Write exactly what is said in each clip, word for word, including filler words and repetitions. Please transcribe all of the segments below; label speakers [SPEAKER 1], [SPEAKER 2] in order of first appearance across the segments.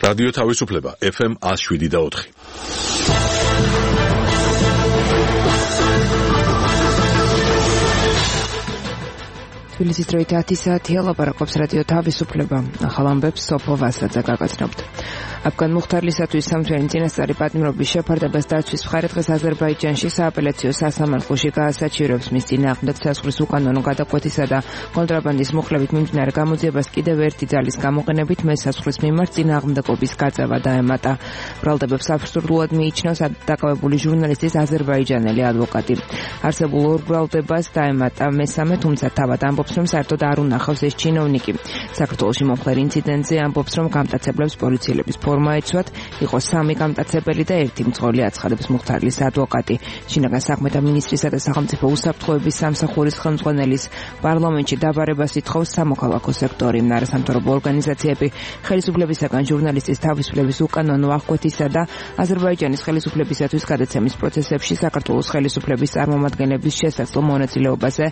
[SPEAKER 1] რადიო თავისუფლება ეფ ემ one oh seven და four.
[SPEAKER 2] თბილისის დროით ათი საათია, ლაპარაკობს რადიო თავისუფლება. ახალ ამბებს სოფო ვასაძე გაგაცნობთ. აფგან მუხთარლისათვის სამთვიანი წინასწარი პატიმრობის შეფარდებას დაცვის მხარე დღეს აზერბაიჯანში სააპელაციო სასამართლოში გაასაჩივრებს მის წინააღმდეგ ცეცხლის უკანონო გადაკვეთისა და კონტრაბანდის მუხლებით მიმდინარე გამოძიებას კიდევ ერთი ძალის გამოყენებით მესაცხვრის მიმართ წინააღმდეგობის გაწევა დაემატა. ბრალდებებს აბსურდულად მიიჩნევს დაკავებული ჟურნალისტის აზერბაიჯანელი ადვოკატი. არსებულ ორ ბრალდებას დაემატა მესამე, თუმცა თავად ამბობს, რომ საერთოდ არ უნახავს ეს ჩინოვნიკი. საქართველოში მომხდარ ინციდენტზე ამბობს, რომ გამტაცებლებს პოლიციელების ფორმა ეცვათ, იყო სამი გამტაცებელი და ერთი მძღოლი, აცხადებს მუხთარლის ადვოკატი. შინაგან საქმეთა მინისტრისა და სახელმწიფო უსაფრთხოების სამსახურის ხელმძღვანელის პარლამენტში დაბარებას ითხოვს სამოქალაქო სექტორი, არასამთავრობო ორგანიზაციები, ხელისუფლებისაგან ჟურნალისტის თავისუფლების უკანონო აღკვეთისა და აზერბაიჯანის ხელისუფლებისათვის გადაცემის პროცესებში საქართველოს ხელისუფლების წარმომადგენლების შესაძლო მონაწილეობაზე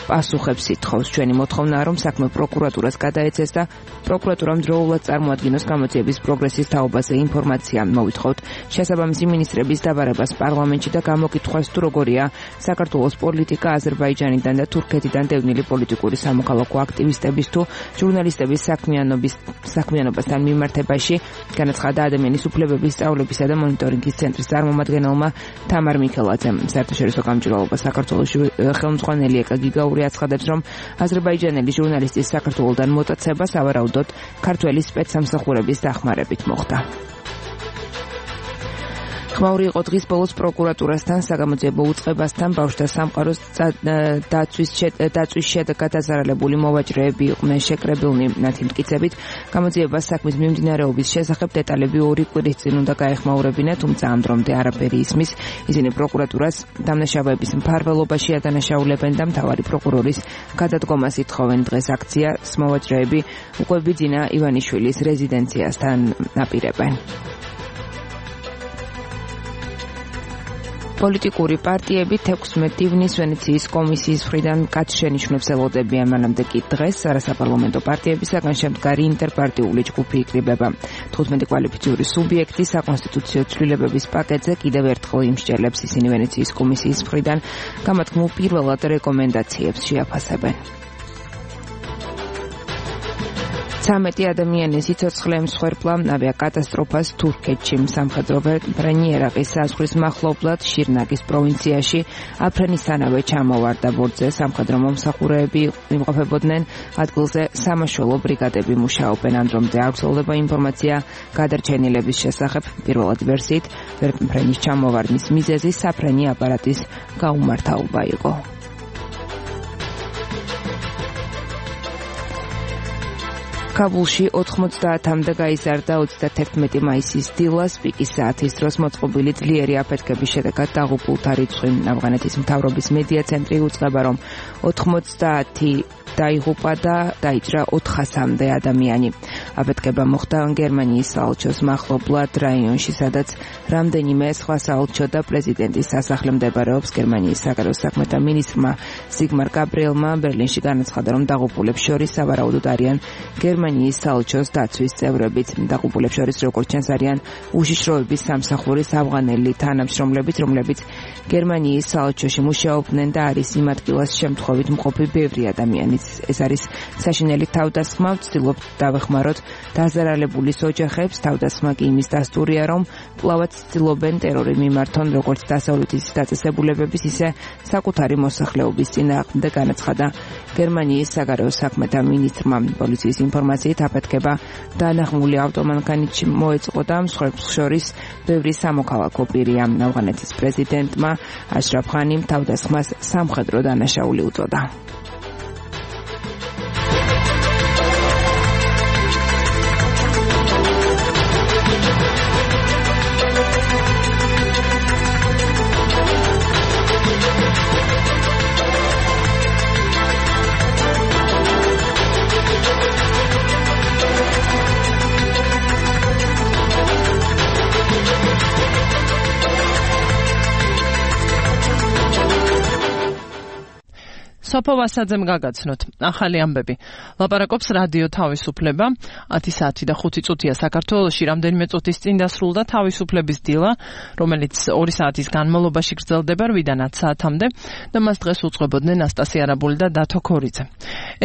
[SPEAKER 2] პასუხებს ითხოვს. ჩვენი მოთხოვნაა, რომ საქმე პროკურატურას გადაეცეს და პროკურატურამ დროულად წარმოადგინოს გამოძიების პროგრესის თაობაზე ინფორმაცია. მოვითხოვთ შესაბამისი მინისტრების დაბარებას პარლამენტში და გამოკითხვას, თუ როგორია საქართველოს პოლიტიკა აზერბაიჯანიდან და თურქეთიდან დევნილი პოლიტიკური სამოქალაქო აქტივისტების თუ ჟურნალისტების საქმიანობის საქმიანობასთან მიმართებაში, განაცხადა ადამიანის უფლებების სწავლებისა და მონიტორინგის ცენტრის წარმომადგენელმა თამარ მიქელაძემ. საერთაშორისო გამჭვირვალობა საქართველოში ხელმძღვანელი ეკა გიგაური აცხადებს, რომ აზერბაიჯანელი ჟურნალისტის საქართველოდან მოტაცება სავარაუდოდ ქართველი სპეცსამსახურების დახმარებით მოხდა. ხმაური იყო დღის ბოლოს პროკურატურასთან საგამოძიებო უწყებასთან ბავშვთა სამყაროს დაცვის დაცვის შედეგად დაზარალებული მოვაჭრეები იყვნენ შეკრებილნი. მათი მტკიცებით, გამოძიებას საქმის მიმდინარეობის შესახებ დეტალები ორი კვირის წინ უნდა გაეხმაურებინა, თუმცა ამ დრომდე არაფერი ისმის. ისინი პროკურატურას დამნაშავეების მფარველობაში ადანაშაულებენ და მთავარი პროკურორის გადადგომას ითხოვენ. დღეს აქციას მოვაჭრეები უკვე ბიძინა ივანიშვილის რეზიდენციასთან აპირებენ. პოლიტიკური პარტიები თექვსმეტ ივნის ვენეციის კომისიის მხრიდან კაცშენიშნებს ელოდებიან, მანამდე კი დღეს არასაპარლამენტო პარტიებისაგან შემდგარი ინტერპარტიული ჯგუფი იკრიბება. თხუთმეტი კვალიფიციური სუბიექტი საკონსტიტუციო ცვლილებების პაკეტზე კიდევ ერთხელ იმსჯელებს. ისინი ვენეციის კომისიის მხრიდან გამართულ პირველად რეკომენდაციებს შეაფასებენ. ცამეტი ადამიანი სიცოცხლე მსხვერპლა ავიაკატასტროფას თურქეთში. სამხედრო ბრენი ერაყის საზღვრის მახლობლად შირნაგის პროვინციაში აფრენისთანავე ჩამოვარდა ბორტზე. სამხედრო მომსახურეები იმყოფებოდნენ ადგილზე, სამაშველო ბრიგადები მუშაობენ. ამ დრომდე არ ვრცელდება ინფორმაცია გადარჩენილების შესახებ. პირველად ვერსიით ბრენის ჩამოვარდნის მიზეზი საფრენი აპარატის გაუმართავობა იყო. კაბულში ოთხმოცდაათამდე გაიზარდა ოცდაათერთმეტი მაისის დილას პიკის საათის დროს მოწყობილი ძლიერი აფეთქების შედეგად დაღუპულთა რიცხვი. ავღანეთის მთავრობის მედია ცენტრი უწყება, რომ ოთხმოცდაათი დაიღუპა და დაიჭრა ოთხასამდე ადამიანი. აფეთქება მოხდა გერმანიის საელჩოს მახლობლად რაიონში, სადაც რამდენიმე სხვა საელჩო და პრეზიდენტის სასახლე მდებარეობს. გერმანიის საგარეო საქმეთა მინისტრმა ზიგმარ გაბრიელმა ბერლინში განაცხადა, რომ დაღუპულებს შორის სავარაუდოდ არიან გერმანიის საელჩოს დაცვის წევრებიც. დაღუპულებს შორის, როგორც ჩანს, არიან უშიშროების სამსახურის ავღანელი თანამშრომლებიც, რომლებიც გერმანიის საელჩოში მუშაობდნენ და არის იმ ადგილას შემთხვევით მყოფი ბევრი ადამიანიც. ეს არის საშინელი თავდასხმა. ვცდილობთ დავეხმაროთ დაზარალებულის ოჯახებს. თავდასხმა კი იმის დასტურია, რომ კვლავაც ცდილობენ ტერორი მიმართონ როგორც დასავლეთის დაწესებულებების, ისე საკუთარი მოსახლეობის წინააღმდეგ, განაცხადა გერმანიის საგარეო საქმეთა მინისტრმა. პოლიციის ინფორმაციით აფეთქება დანახმული ავტომანქანით მოეწყო და მსხვერპლს შორის ბევრი სამოქალაქო პირია. ავღანეთის პრეზიდენტმა აშრაფ ღანიმ თავდასხმას სამხედრო დანაშაული უწოდა.
[SPEAKER 3] სოფო ვასაძემ გაგაცნოთ ახალი ამბები. ლაპარაკობს რადიო თავისუფლება. ათი საათი და ხუთი წუთია საქართველოში. რამდენიმე წუთის წინ დასრულდა თავისუფლების დილა, რომელიც ორი საათის განმავლობაში გრძელდება რვიდან ათ საათამდე და მას დღეს უძღვებოდნენ ასტასია არაბული და დათო ქორიძე.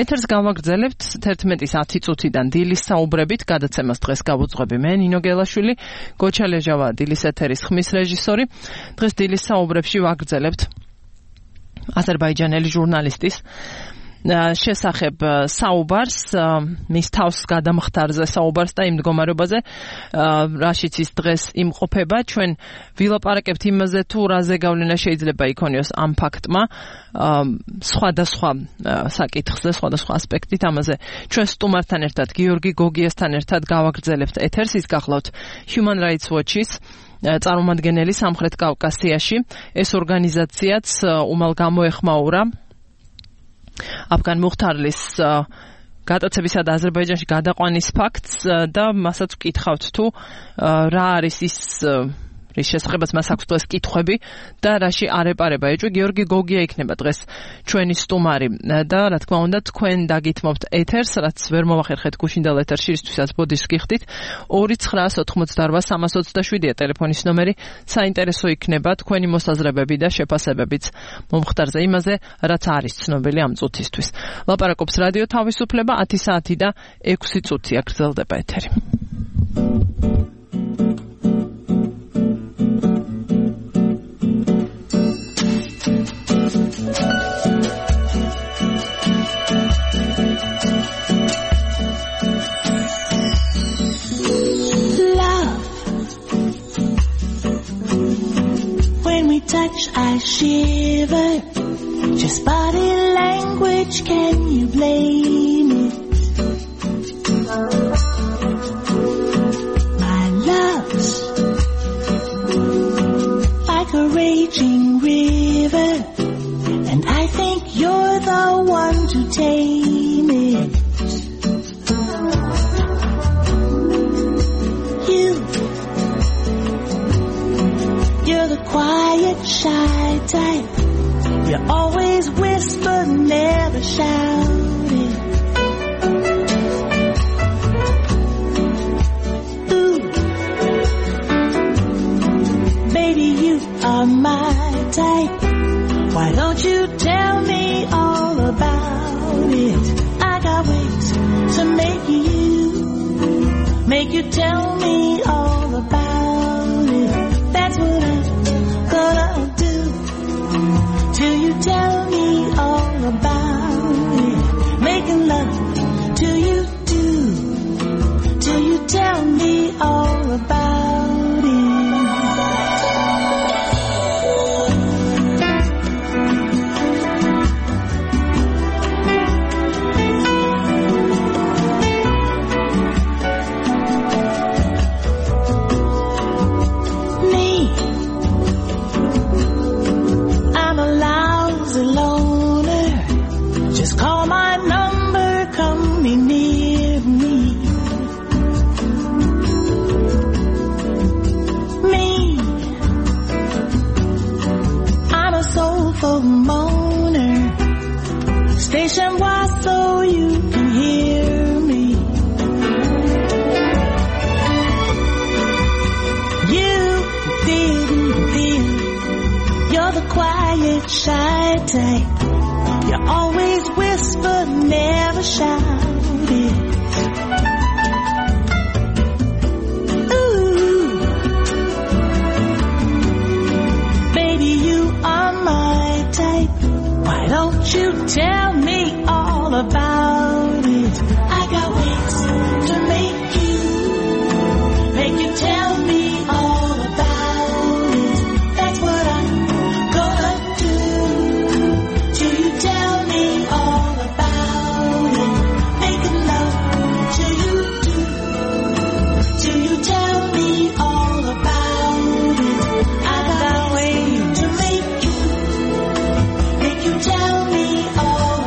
[SPEAKER 3] ეთერს გავაგრძელებთ თერთმეტის ათი წუთიდან დილის საუბრებით. გადაცემას დღეს გავუძღვები მე, ნინო გელაშვილი, გოჩა ლეჟავა, დილის ეთერის ხმის რეჟისორი. დღეს დილის საუბრებში ვაგრძელებთ აზერბაიჯანელი ჟურნალისტის შესახებ საუბარს, მის თავს გადამხდარზე საუბარს და იმ მდგომარეობაზე, რაშიც ის დღეს იმყოფება. ჩვენ ვილაპარაკებთ იმაზე, თუ რა ზეგავლენა შეიძლება იქონიოს ამ ფაქტმა სხვადასხვა საკითხზე, სხვადასხვა ასპექტით. ამაზე ჩვენ სტუმართან ერთად, გიორგი გოგიასთან ერთად გავაგრძელებთ ეთერს. ის გახლავთ Human Rights Watch-ის წარმომადგენელი სამხრეთ კავკასიაში. ეს ორგანიზაციაც უმალ გამოეხმაურა აფგან მუხთარლის გადაცებისა და აზერბაიჯანში გადაყვანის ფაქტს და მასაც ვკითხავთ თუ რა არის ის რის შესახებაც მას აქვს დღეს კითხვები და რაში არ ეპარება ეჭვი. გიორგი გოგია იქნება დღეს ჩვენი სტუმარი და რა თქმა უნდა თქვენ დაგითმობთ ეთერს, რაც ვერ მოვახერხეთ გუშინდელ ეთერში, ისთვისაც ბოდიშს გიხდით. ორი ცხრაას ოთხმოცდარბა სამას ოცდაშვიდია ტელეფონის ნომერი. საინტერესო იქნება თქვენი მოსაზრებები და შეფასებებიც მომხდარზე იმაზე, რაც არის ცნობილი ამ წუთისთვის. ლაპარაკობს რადიო თავისუფლება. ათი საათი და ექვსი წუთია გრძელდება ეთერი.
[SPEAKER 4] Touch, I shiver. Just body language, can you blame it? My love's like a raging river, and I think you're the one to tame it. You You're the quiet, shy type. You always whisper, never shout it. Ooh, baby, you are my type. Why don't you tell me all about it? I got ways to make you, make you tell me all about it. That's what I'm gonna do, till you tell me all about it. Making love till you do, till you tell me all about it. Station wide so you can hear me. You didn't feel you're the quiet, shy type. You always whisper, never shout it. Ooh, baby, you are my type. Why don't you tell me all about it? I got ways to make you, make you tell me all about it. That's what I'm gonna do, till you tell me all about it. Making love till you do, till you tell me all about it. I got ways to make you, make you tell me all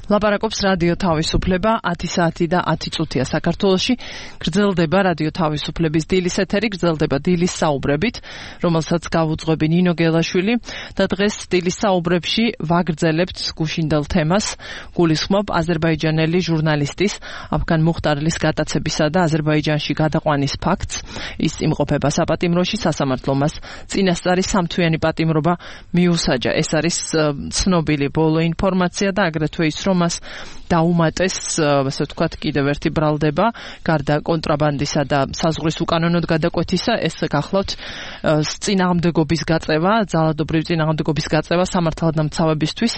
[SPEAKER 3] ლაპარაკობს რადიო თავისუფლება ათი საათი და ათი წუთია საქართველოში. გრძელდება რადიო თავისუფლების დილის ეთერი, გრძელდება დილის საუბრებით, რომელსაც გავუძღვები ნინო გელაშვილი და დღეს დილის საუბრებში ვაგრძელებთ გუშინდელ თემას. გულისხმობ აზერბაიჯანელი ჟურნალისტის აფგან მუხტარლის გატაცებისა და აზერბაიჯანში გადაყვანის ფაქტს. ის იმყოფება საპატიმროში, სასამართლომ მას წინასწარი სამთვიანი პატიმრობა მიუსაჯა. ეს არის ცნობილი ბოლო ინფორმაცია და აგრეთვე ის, რომ მას დაუმატეს, ასე ვთქვათ, კიდევ ერთი ბრალდება, გარდა კონტრაბანდისა და საზღვრის უკანონოდ გადაკვეთისა, ეს გახლავთ წინააღმდეგობის გაწევა, ძალადობრივი წინააღმდეგობის გაწევა სამართალდამცავებისთვის.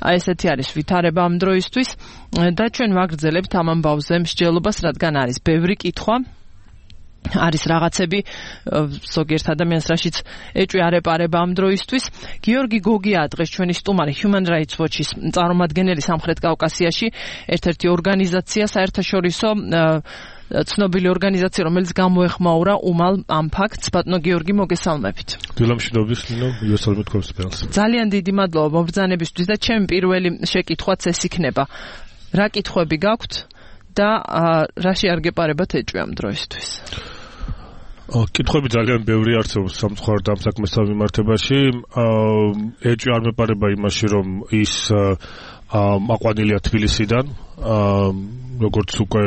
[SPEAKER 3] აი ესეთი არის ვითარება ამ დროისთვის და ჩვენ ვაგრძელებთ ამ ამბავზე მსჯელობას, რადგან არის ბევრი კითხვა. არის რაღაცები ზოგიერთ ადამიანს რაშიც ეჭვი არ ეპარება ამ დროისთვის. გიორგი გოგია დღეს ჩვენი სტუმარი Human Rights Watch-ის წარმომადგენელი სამხრეთ კავკასიაში, ერთ-ერთი ორგანიზაცია, საერთაშორისო ცნობილი ორგანიზაცია, რომელიც გამოეხმაურა უმალ ამ ფაქტს. ბატონო გიორგი, მოგესალმებით.
[SPEAKER 5] დილამშვიდობის, ნინო, იოსალმეთ თქვენს ფელს.
[SPEAKER 3] ძალიან დიდი მადლობა მობრძანებისთვის და ჩემი პირველი შეკითხვაც ეს იქნება. რა კითხვები გაქვთ და რაში არ გეპარებათ ეჭვი ამ დროისთვის?
[SPEAKER 5] კითხვები ძალიან ბევრი არსებობს სამწუხაროდ ამ საქმესთან მიმართებაში. ეჭვი არ მეპარება იმაში, რომ ის აყვანილია თბილისიდან, როგორც უკვე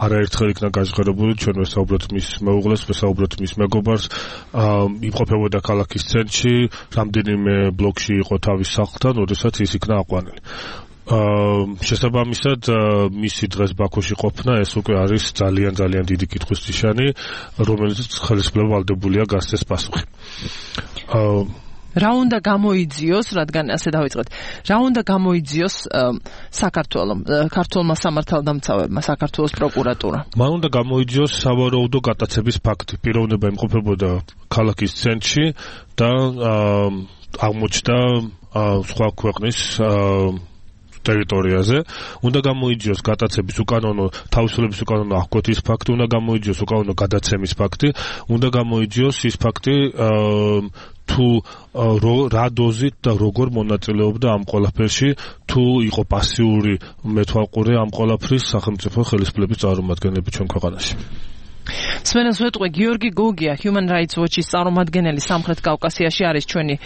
[SPEAKER 5] არაერთხელ იქნა გაჟღერებული, ჩვენ ვესაუბროთ მის მეუღლეს, ვესაუბროთ მის მეგობარს, იმყოფებოდა ქალაქის ცენტრში, რამდენიმე ბლოკში იყო თავის სახლთან, როდესაც ის იქნა აყვანილი. შესაბამისად მისი დღეს ბაქოში ყოფნა ეს უკვე არის ძალიან ძალიან დიდი კითხვის ნიშანი, რომელიც ხელისუფლება ვალდებულია გასცეს პასუხი.
[SPEAKER 3] რა უნდა გამოიძიოს, რადგან ასე დავიწყეთ, რა უნდა გამოიძიოს საქართველოს, ქართულმა სამართალდამცავებმა, საქართველოს პროკურატურა?
[SPEAKER 5] მან უნდა გამოიძიოს სავარაუდო გატაცების ფაქტი. პიროვნება იმყოფებოდა ქალაქის ცენტრში და აღმოჩნდა სხვა ქვეყნის ტერიტორიაზე. უნდა გამოიძიოს გატაცების უკანონო, თავისუფლების უკანონო აღკვეთის ფაქტი, უნდა გამოიძიოს უკანონო გადაცემის ფაქტი, უნდა გამოიძიოს ის ფაქტი, თუ რა დოზით და როგორ მონაწილეობდა ამ ყველაფერში, თუ იყო პასიური მეთვალყურე ამ ყველაფრის სახელმწიფო ხელისუფლების წარმომადგენლები ჩვენ ქვეყანაში.
[SPEAKER 3] სმენელს ვეტყვი, გიორგი გოგია, Human Rights Watch-ის წარმომადგენელი სამხრეთ კავკასიაში არის ჩვენი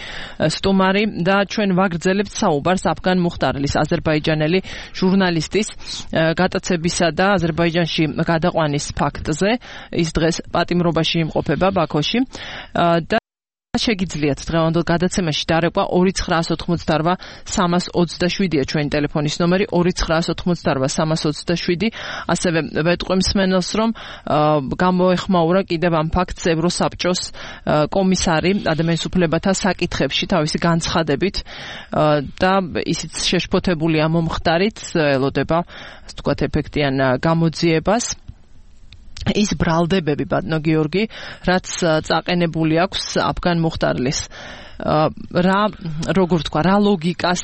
[SPEAKER 3] სტუმარი და ჩვენ ვაგრძელებთ საუბარს აფგან მუხტარლის, აზერბაიჯანელი ჟურნალისტის გატაცებისა და აზერბაიჯანში გადაყვანის ფაქტზე. ის დღეს პატიმრობაში იმყოფება ბაქოში და შეგიძლიათ დღევანდელ გადაცემაში დარეკვა ორი ცხრაას ოთხმოცდაორვა სამას ოცდაშვიდია ჩვენი ტელეფონის ნომერი ორი ცხრაას ოთხმოცდაორვა სამას ოცდაშვიდი. ასევე ვეტყვი მსმენელს, რომ გამოეხმაურა კიდევ ამ ფაქტს ევროსაბჭოს კომისარი ადამიანის უფლებათა საკითხებში თავისი განცხადებით და ისიც შეშფოთებულია მომხდარით, ელოდება ასე ვთქვათ ეფექტიან გამოძიებას. ის ბრალდებები, ბატონო გიორგი, რაც წაყენებული აქვს აფგან მუხტარლის, რა როგორ თქვა, რა ლოგიკას,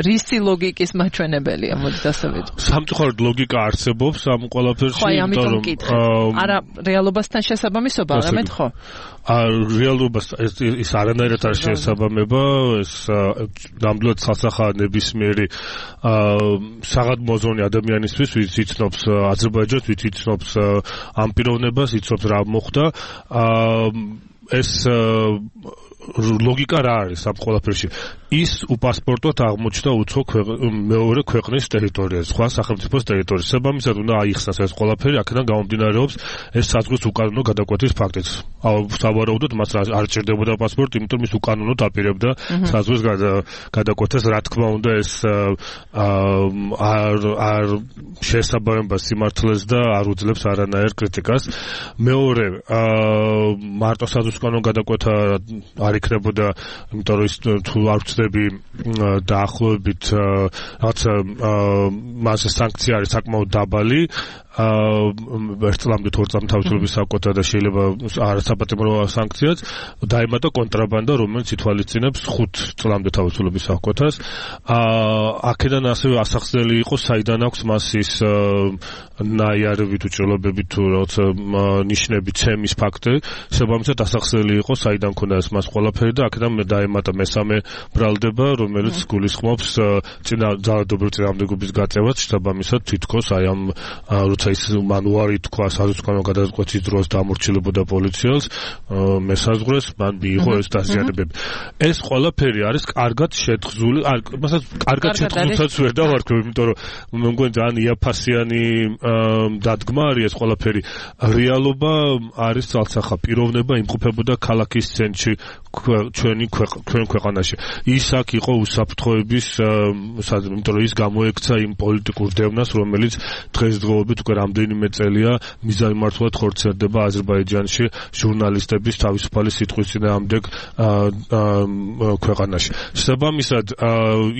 [SPEAKER 3] რისი ლოგიკის მაჩვენებელია, მოდით ასე ვიტყვი.
[SPEAKER 5] სამწუხაროდ ლოგიკა არსებობს ამ ყველაფერში,
[SPEAKER 3] ხო, ამიტომ მკითხე. არა რეალობასთან შესაბამისობა, რამეთ ხო?
[SPEAKER 5] რეალობას ის არანაირად არ შეესაბამება, ეს ნამდვილად სასახაა ნებისმიერი საღამო ადამიანისთვის, ვინც იცნობს აზერბაიჯანს, ვინც იცნობს ამ პიროვნებას, იცნობს რა მოხდა. ეს ლოგიკა რა არის ამ ყველაფერში? ის უპასპორტოდ აღმოჩნდა უცხო მეორე ქვეყნის ტერიტორიაზე, სხვა სახელმწიფოს ტერიტორიაზე. შესაბამისად უნდა აიხსნას ეს ყველაფერი, აქედან გამომდინარეობს ეს საზღვრის უკანონო გადაკვეთის ფაქტიც. სავარაუდოდ მას არ ჭირდებოდა პასპორტი, იმიტომ ის უკანონოდ აპირებდა საზღვრის გადაკვეთას. რა თქმა უნდა, ეს არ არ შეესაბამება სიმართლეს და არ უძლებს არანაირ კრიტიკას. მეორე, მარტო საზღვრის უკანონო გადაკვეთა არ იქნებოდა, იმიტომ რომ ის თუ არ ვწდები დაახლოებით რაღაცა მასე სანქცია არის საკმაოდ დაბალი. ერთ წლამდე თუ ორ წლამდე თავისუფლების საკვოთა და შეიძლება არასაპატიმრო სანქციაც დაემატა კონტრაბანდა, რომელიც ითვალისწინებს ხუთ წლამდე თავისუფლების საკვეთას. აქედან ასევე ასახსნელი იყო საიდან აქვს მას ის ნაიარევი თუ ჭრილობები თუ როცა ნიშნები ცემის ფაქტი, შესაბამისად ასახსნელი იყო საიდან ქონდა ეს მას ყველაფერი და აქედან მე დაემატა მესამე ბრალდება, რომელიც გულისხმობს წინა ძალადობრივ წინააღმდეგობის გაწევას, შესაბამისად თითქოს აი ამ როცა ის მანუარი თქვა საზღვარგანო გადაწყვეტის დროს დამორჩილებოდა პოლიციელს მესაზღვრეს, მან მიიღო ეს დაზიანებები. ეს ყველაფერი არის კარგად შეთხზული, მასაც კარგად შეთხზულსაც ვერ დავარქვევ, იმიტომ რომ მე მგონი ძალიან იაფასიანი დადგმა არის ეს ყველაფერი. რეალობა არის ძალსახა პიროვნება იმყოფებოდა ქალაქის ცენტრში ჩვენი ჩვენ ქვეყანაში. ის აქ იყო უსაფრთხოების იმიტომ რომ ის გამოექცა იმ პოლიტიკურ დევნას, რომელიც დღესდღეობით უკვე რამდენიმე წელია მიზანმართულად ხორციელდება აზერბაიჯანში ჟურნალისტების თავისუფალი სიტყვის წინააღმდეგ ქვეყანაში. შესაბამისად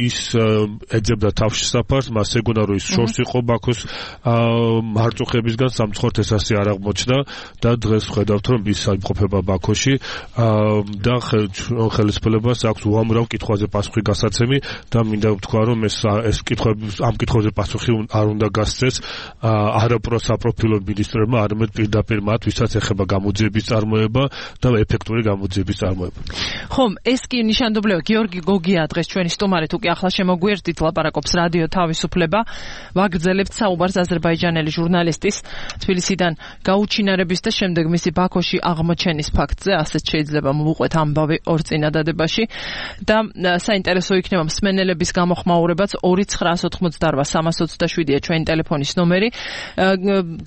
[SPEAKER 5] ის ეძებდა თავშესაფარს, მას ეგონა რომ ის შორს იყო ბაქოს მარწუხებისგან სამწუხაროდ ეს ასე არ აღმოჩნდა და დღეს ვხედავთ რომ ის იმყოფება ბაქოში და ხელისუფლებას აქვს უამრავ კითხვაზე პასუხი გასაცემი და მინდა ვთქვა რომ ეს ეს კითხვები ამ კითხვებზე პასუხი არ უნდა გასცეს არა პროსაპროფილო მინისტრებმა, არამედ პირდაპირ მათ, ვისაც ეხება გამოძიების წარმოება და ეფექტური გამოძიების წარმოება.
[SPEAKER 3] ხომ, ეს კი ნიშანდობლია, გიორგი გოგია დღეს ჩვენი სტუმარი, თუ კი ახლა შემოგვიერთდით, ლაპარაკობს რადიო თავისუფლება. ვაგრძელებთ საუბარს აზერბაიჯანელი ჟურნალისტის თბილისიდან გაუჩინარების და შემდეგ მისი ბაქოში აღმოჩენის ფაქტზე, ასეთ შეიძლება მოვუყვეთ ამბავი ორ წინადადებაში და საინტერესო იქნება მსმენელების გამოხმაურებაც ორი ცხრა ოთხმოცდაოთხ სამას ოცდაშვიდია ჩვენი ტელეფონის ნომერი.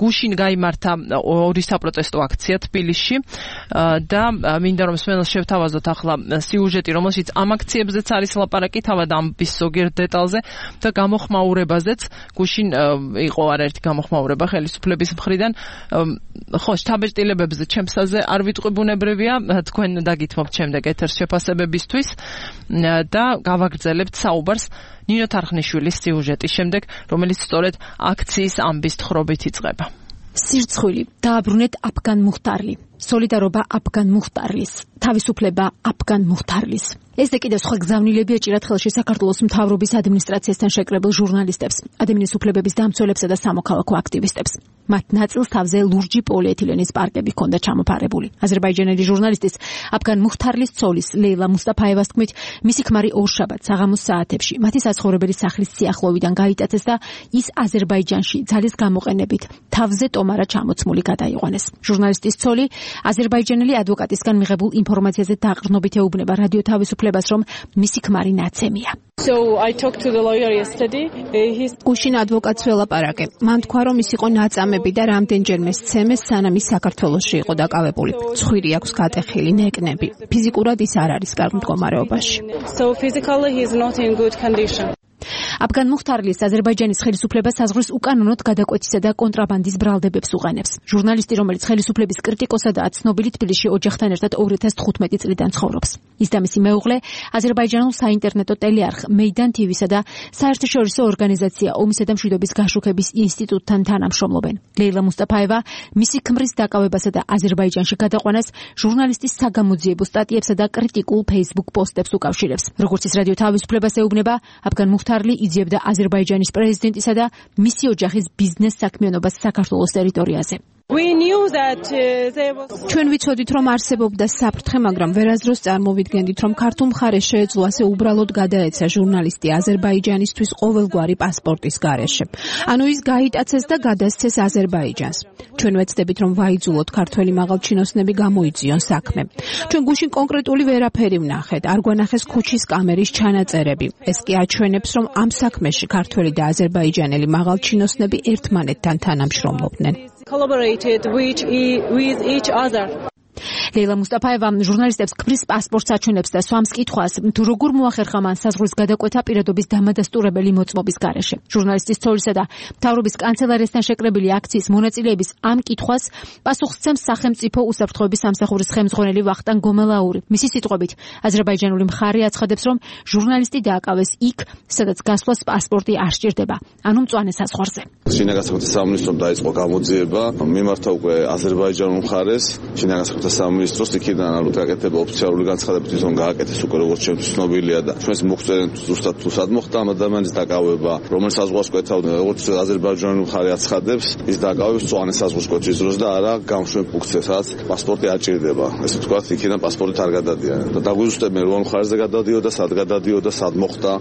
[SPEAKER 3] გუშინ გაიმართა ორი საპროტესტო აქცია თბილისში და მინდა რომ მსმენელს შევთავაზოთ ახლა სიუჟეტი, რომელშიც ამ აქციებზეც არის ლაპარაკი, თავად ამბის ზოგიერთ დეტალზე და გამოხმაურებაზეც. გუშინ იყო არაერთი გამოხმაურება ხელისუფლების მხრიდან. ხო, შთაბეჭდილებებზე ჩემსაზე არ ვიტყვი, ბუნებრივია, თქვენ დაგითმობთ შემდეგ ეთერს შეფასებებისთვის და გავაგრძელებთ საუბარს ნინო თარხნიშვილის სიუჟეტის შემდეგ, რომელიც სწორედ აქციის ამბის თხრობით იწყება.
[SPEAKER 6] სირცხვილი, დააბრუნეთ აფგან მუხტარლი, სოლიდარობა აფგან მუხტარლის, თავისუფლება აფგან მუხტარლის. ესე კიდევ სხვა გზავნილები ეჭირათ ხელში საქართველოს მთავრობის ადმინისტრაციასთან შეკრებილ ჟურნალისტებს, ადამიანის უფლებების დამცველებსა და სამოქალაქო აქტივისტებს. მათ ნაწილს თავზე ლურჯი პოლიეთილენის პარკები ჰქონდა ჩამოფარებული. აზერბაიჯანელი ჟურნალისტის აფგან მუხტარლის ცოლის ლეილა მუსტაფაევას თქმით, მისი ქმარი ორშაბათს საღამოს საათებში მათი საცხოვრებელი სახლის სიახლოვიდან გაიტაცეს და ის აზერბაიჯანში ძალის გამოყენებით თავზე ტომარა ჩამოცმული გადაიყვანეს. ჟურნალისტის ცოლი აზერბაიჯანელი ადვოკატისგან მიღებულ ინფორმაციაზე დაყრდნობით ეუბნება რადიო თავისუფლებას, რომ მისი ქმარი ნაცემია.
[SPEAKER 7] So I talked to the lawyer yesterday. He's
[SPEAKER 6] გუშინ ადვოკატს ველაპარაკე. მან თქვა, რომ ის იყო ნაწამები და რამდენჯერმე სცემეს, სანამ ის საქართველოში იყო დაკავებული. ცხვირი აქვს გატეხილი ნეკნები. ფიზიკურად ის არ არის კარგ მდგომარეობაში.
[SPEAKER 7] So physically he is not in good condition.
[SPEAKER 6] აფგან მუხტარლის აზერბაიჯანის ხელისუფლება საზღვრის უკანონოდ გადაკვეთისა და კონტრაბანდის ბრალდებებს უყენებს. ჟურნალისტი, რომელიც ხელისუფლების კრიტიკოსადაა ცნობილი, თბილისში ოჯახთან ერთად ორი ათას თხუთმეტი წლიდან ცხოვრობს. ის და მისი მეუღლე აზერბაიჯანულ საინტერნეტო ტელეარხ მეიდან ტივისა და საერთაშორისო ორგანიზაცია ომისა და მშვიდობის გაშუქების ინსტიტუტთან თანამშრომლობენ. ლეილა მუსტაფაევა მისი ქმრის დაკავებასა და აზერბაიჯანში გადაყვანას ჟურნალისტის საგამოძიებო სტატიებსა და კრიტიკულ Facebook პოსტებს უკავშირებს. როგორც ის რადიო თავისუფლებას ეუბნება, აფგან მუხტარლი იძიებდა აზერბაიჯანის პრეზიდენტისა და მისი ოჯახის ბიზნეს საქმიანობას საქართველოს ტერიტორიაზე.
[SPEAKER 7] We knew that uh, there was
[SPEAKER 6] ჩვენ ვიცოდით, რომ არსებობდა საფრთხე, მაგრამ ვერასდროს წარმოვიდგენდით, რომ ქართულ მხარეს შეეძლო ასე უბრალოდ გადაეცა ჟურნალისტი აზერბაიჯანისთვის ყოველგვარი პასპორტის გარეშე. ანუ ის გაიტაცეს და გადასცეს აზერბაიჯანს. ჩვენ ვეცდებით, რომ ვაიძულოთ ქართველი მაღალჩინოსნები გამოიძიონ საქმე. ჩვენ გუშინ კონკრეტული ვერაფერი ვნახეთ, არ გვანახეს ქუჩის კამერის ჩანაწერები. ეს კი აჩვენებს, რომ ამ საქმეში ქართველი და აზერბაიჯანელი მაღალჩინოსნები ერთმანეთთან თანამშრომლობდნენ.
[SPEAKER 7] collaborated with, with each other.
[SPEAKER 6] ლეილა მუსტაფაევა ჟურნალისტებს ქმრის პასპორტს აჩვენებს და სვამს კითხვას, თუ როგორ მოახერხა მან საზღვრის გადაკვეთა პირადობის დამადასტურებელი მოწმობის გარეშე. ჟურნალისტის ცოლისა და მთავრობის კანცელარიასთან შეკრებილი აქციის მონაწილეების ამ კითხვას პასუხს სცემს სახელმწიფო უსაფრთხოების სამსახურის ხელმძღვანელი ვახტანგ გომელაური. მისი სიტყვებით, აზერბაიჯანული მხარე აცხადებს, რომ ჟურნალისტი დააკავეს იქ, სადაც გასვლას პასპორტი არ სჭირდება, ანუ მწვანე საზღვარზე.
[SPEAKER 8] შინაგანსაკუთრების სამინისტრომ დაიწყო გამოძიება, მიმართა უკვე აზერბაიჯანულ მხარეს, შინაგანსაკუთრების სამინისტროს იქიდან ალბათ გაკეთება ოფიციალური განცხადებით თვითონ გააკეთეს უკვე როგორც ჩემთვის ცნობილია და ჩვენს მოხსენეთ ზუსტად თუ სად მოხდა ამ ადამიანის დაკავება, რომელ საზღვარს კვეთავდა, როგორც აზერბაიჯანული მხარე აცხადებს, ის დაკავებს მწვანე საზღვრის კვეთის დროს და არა გამშვენ პუნქტზე, სადაც პასპორტი არ ჭირდება. ესე ვთქვათ, იქიდან პასპორტი არ გადადიან. და დაგვიზუსტებენ რომელ მხარეზე გადადიოდა, სად გადადიოდა, სად მოხდა.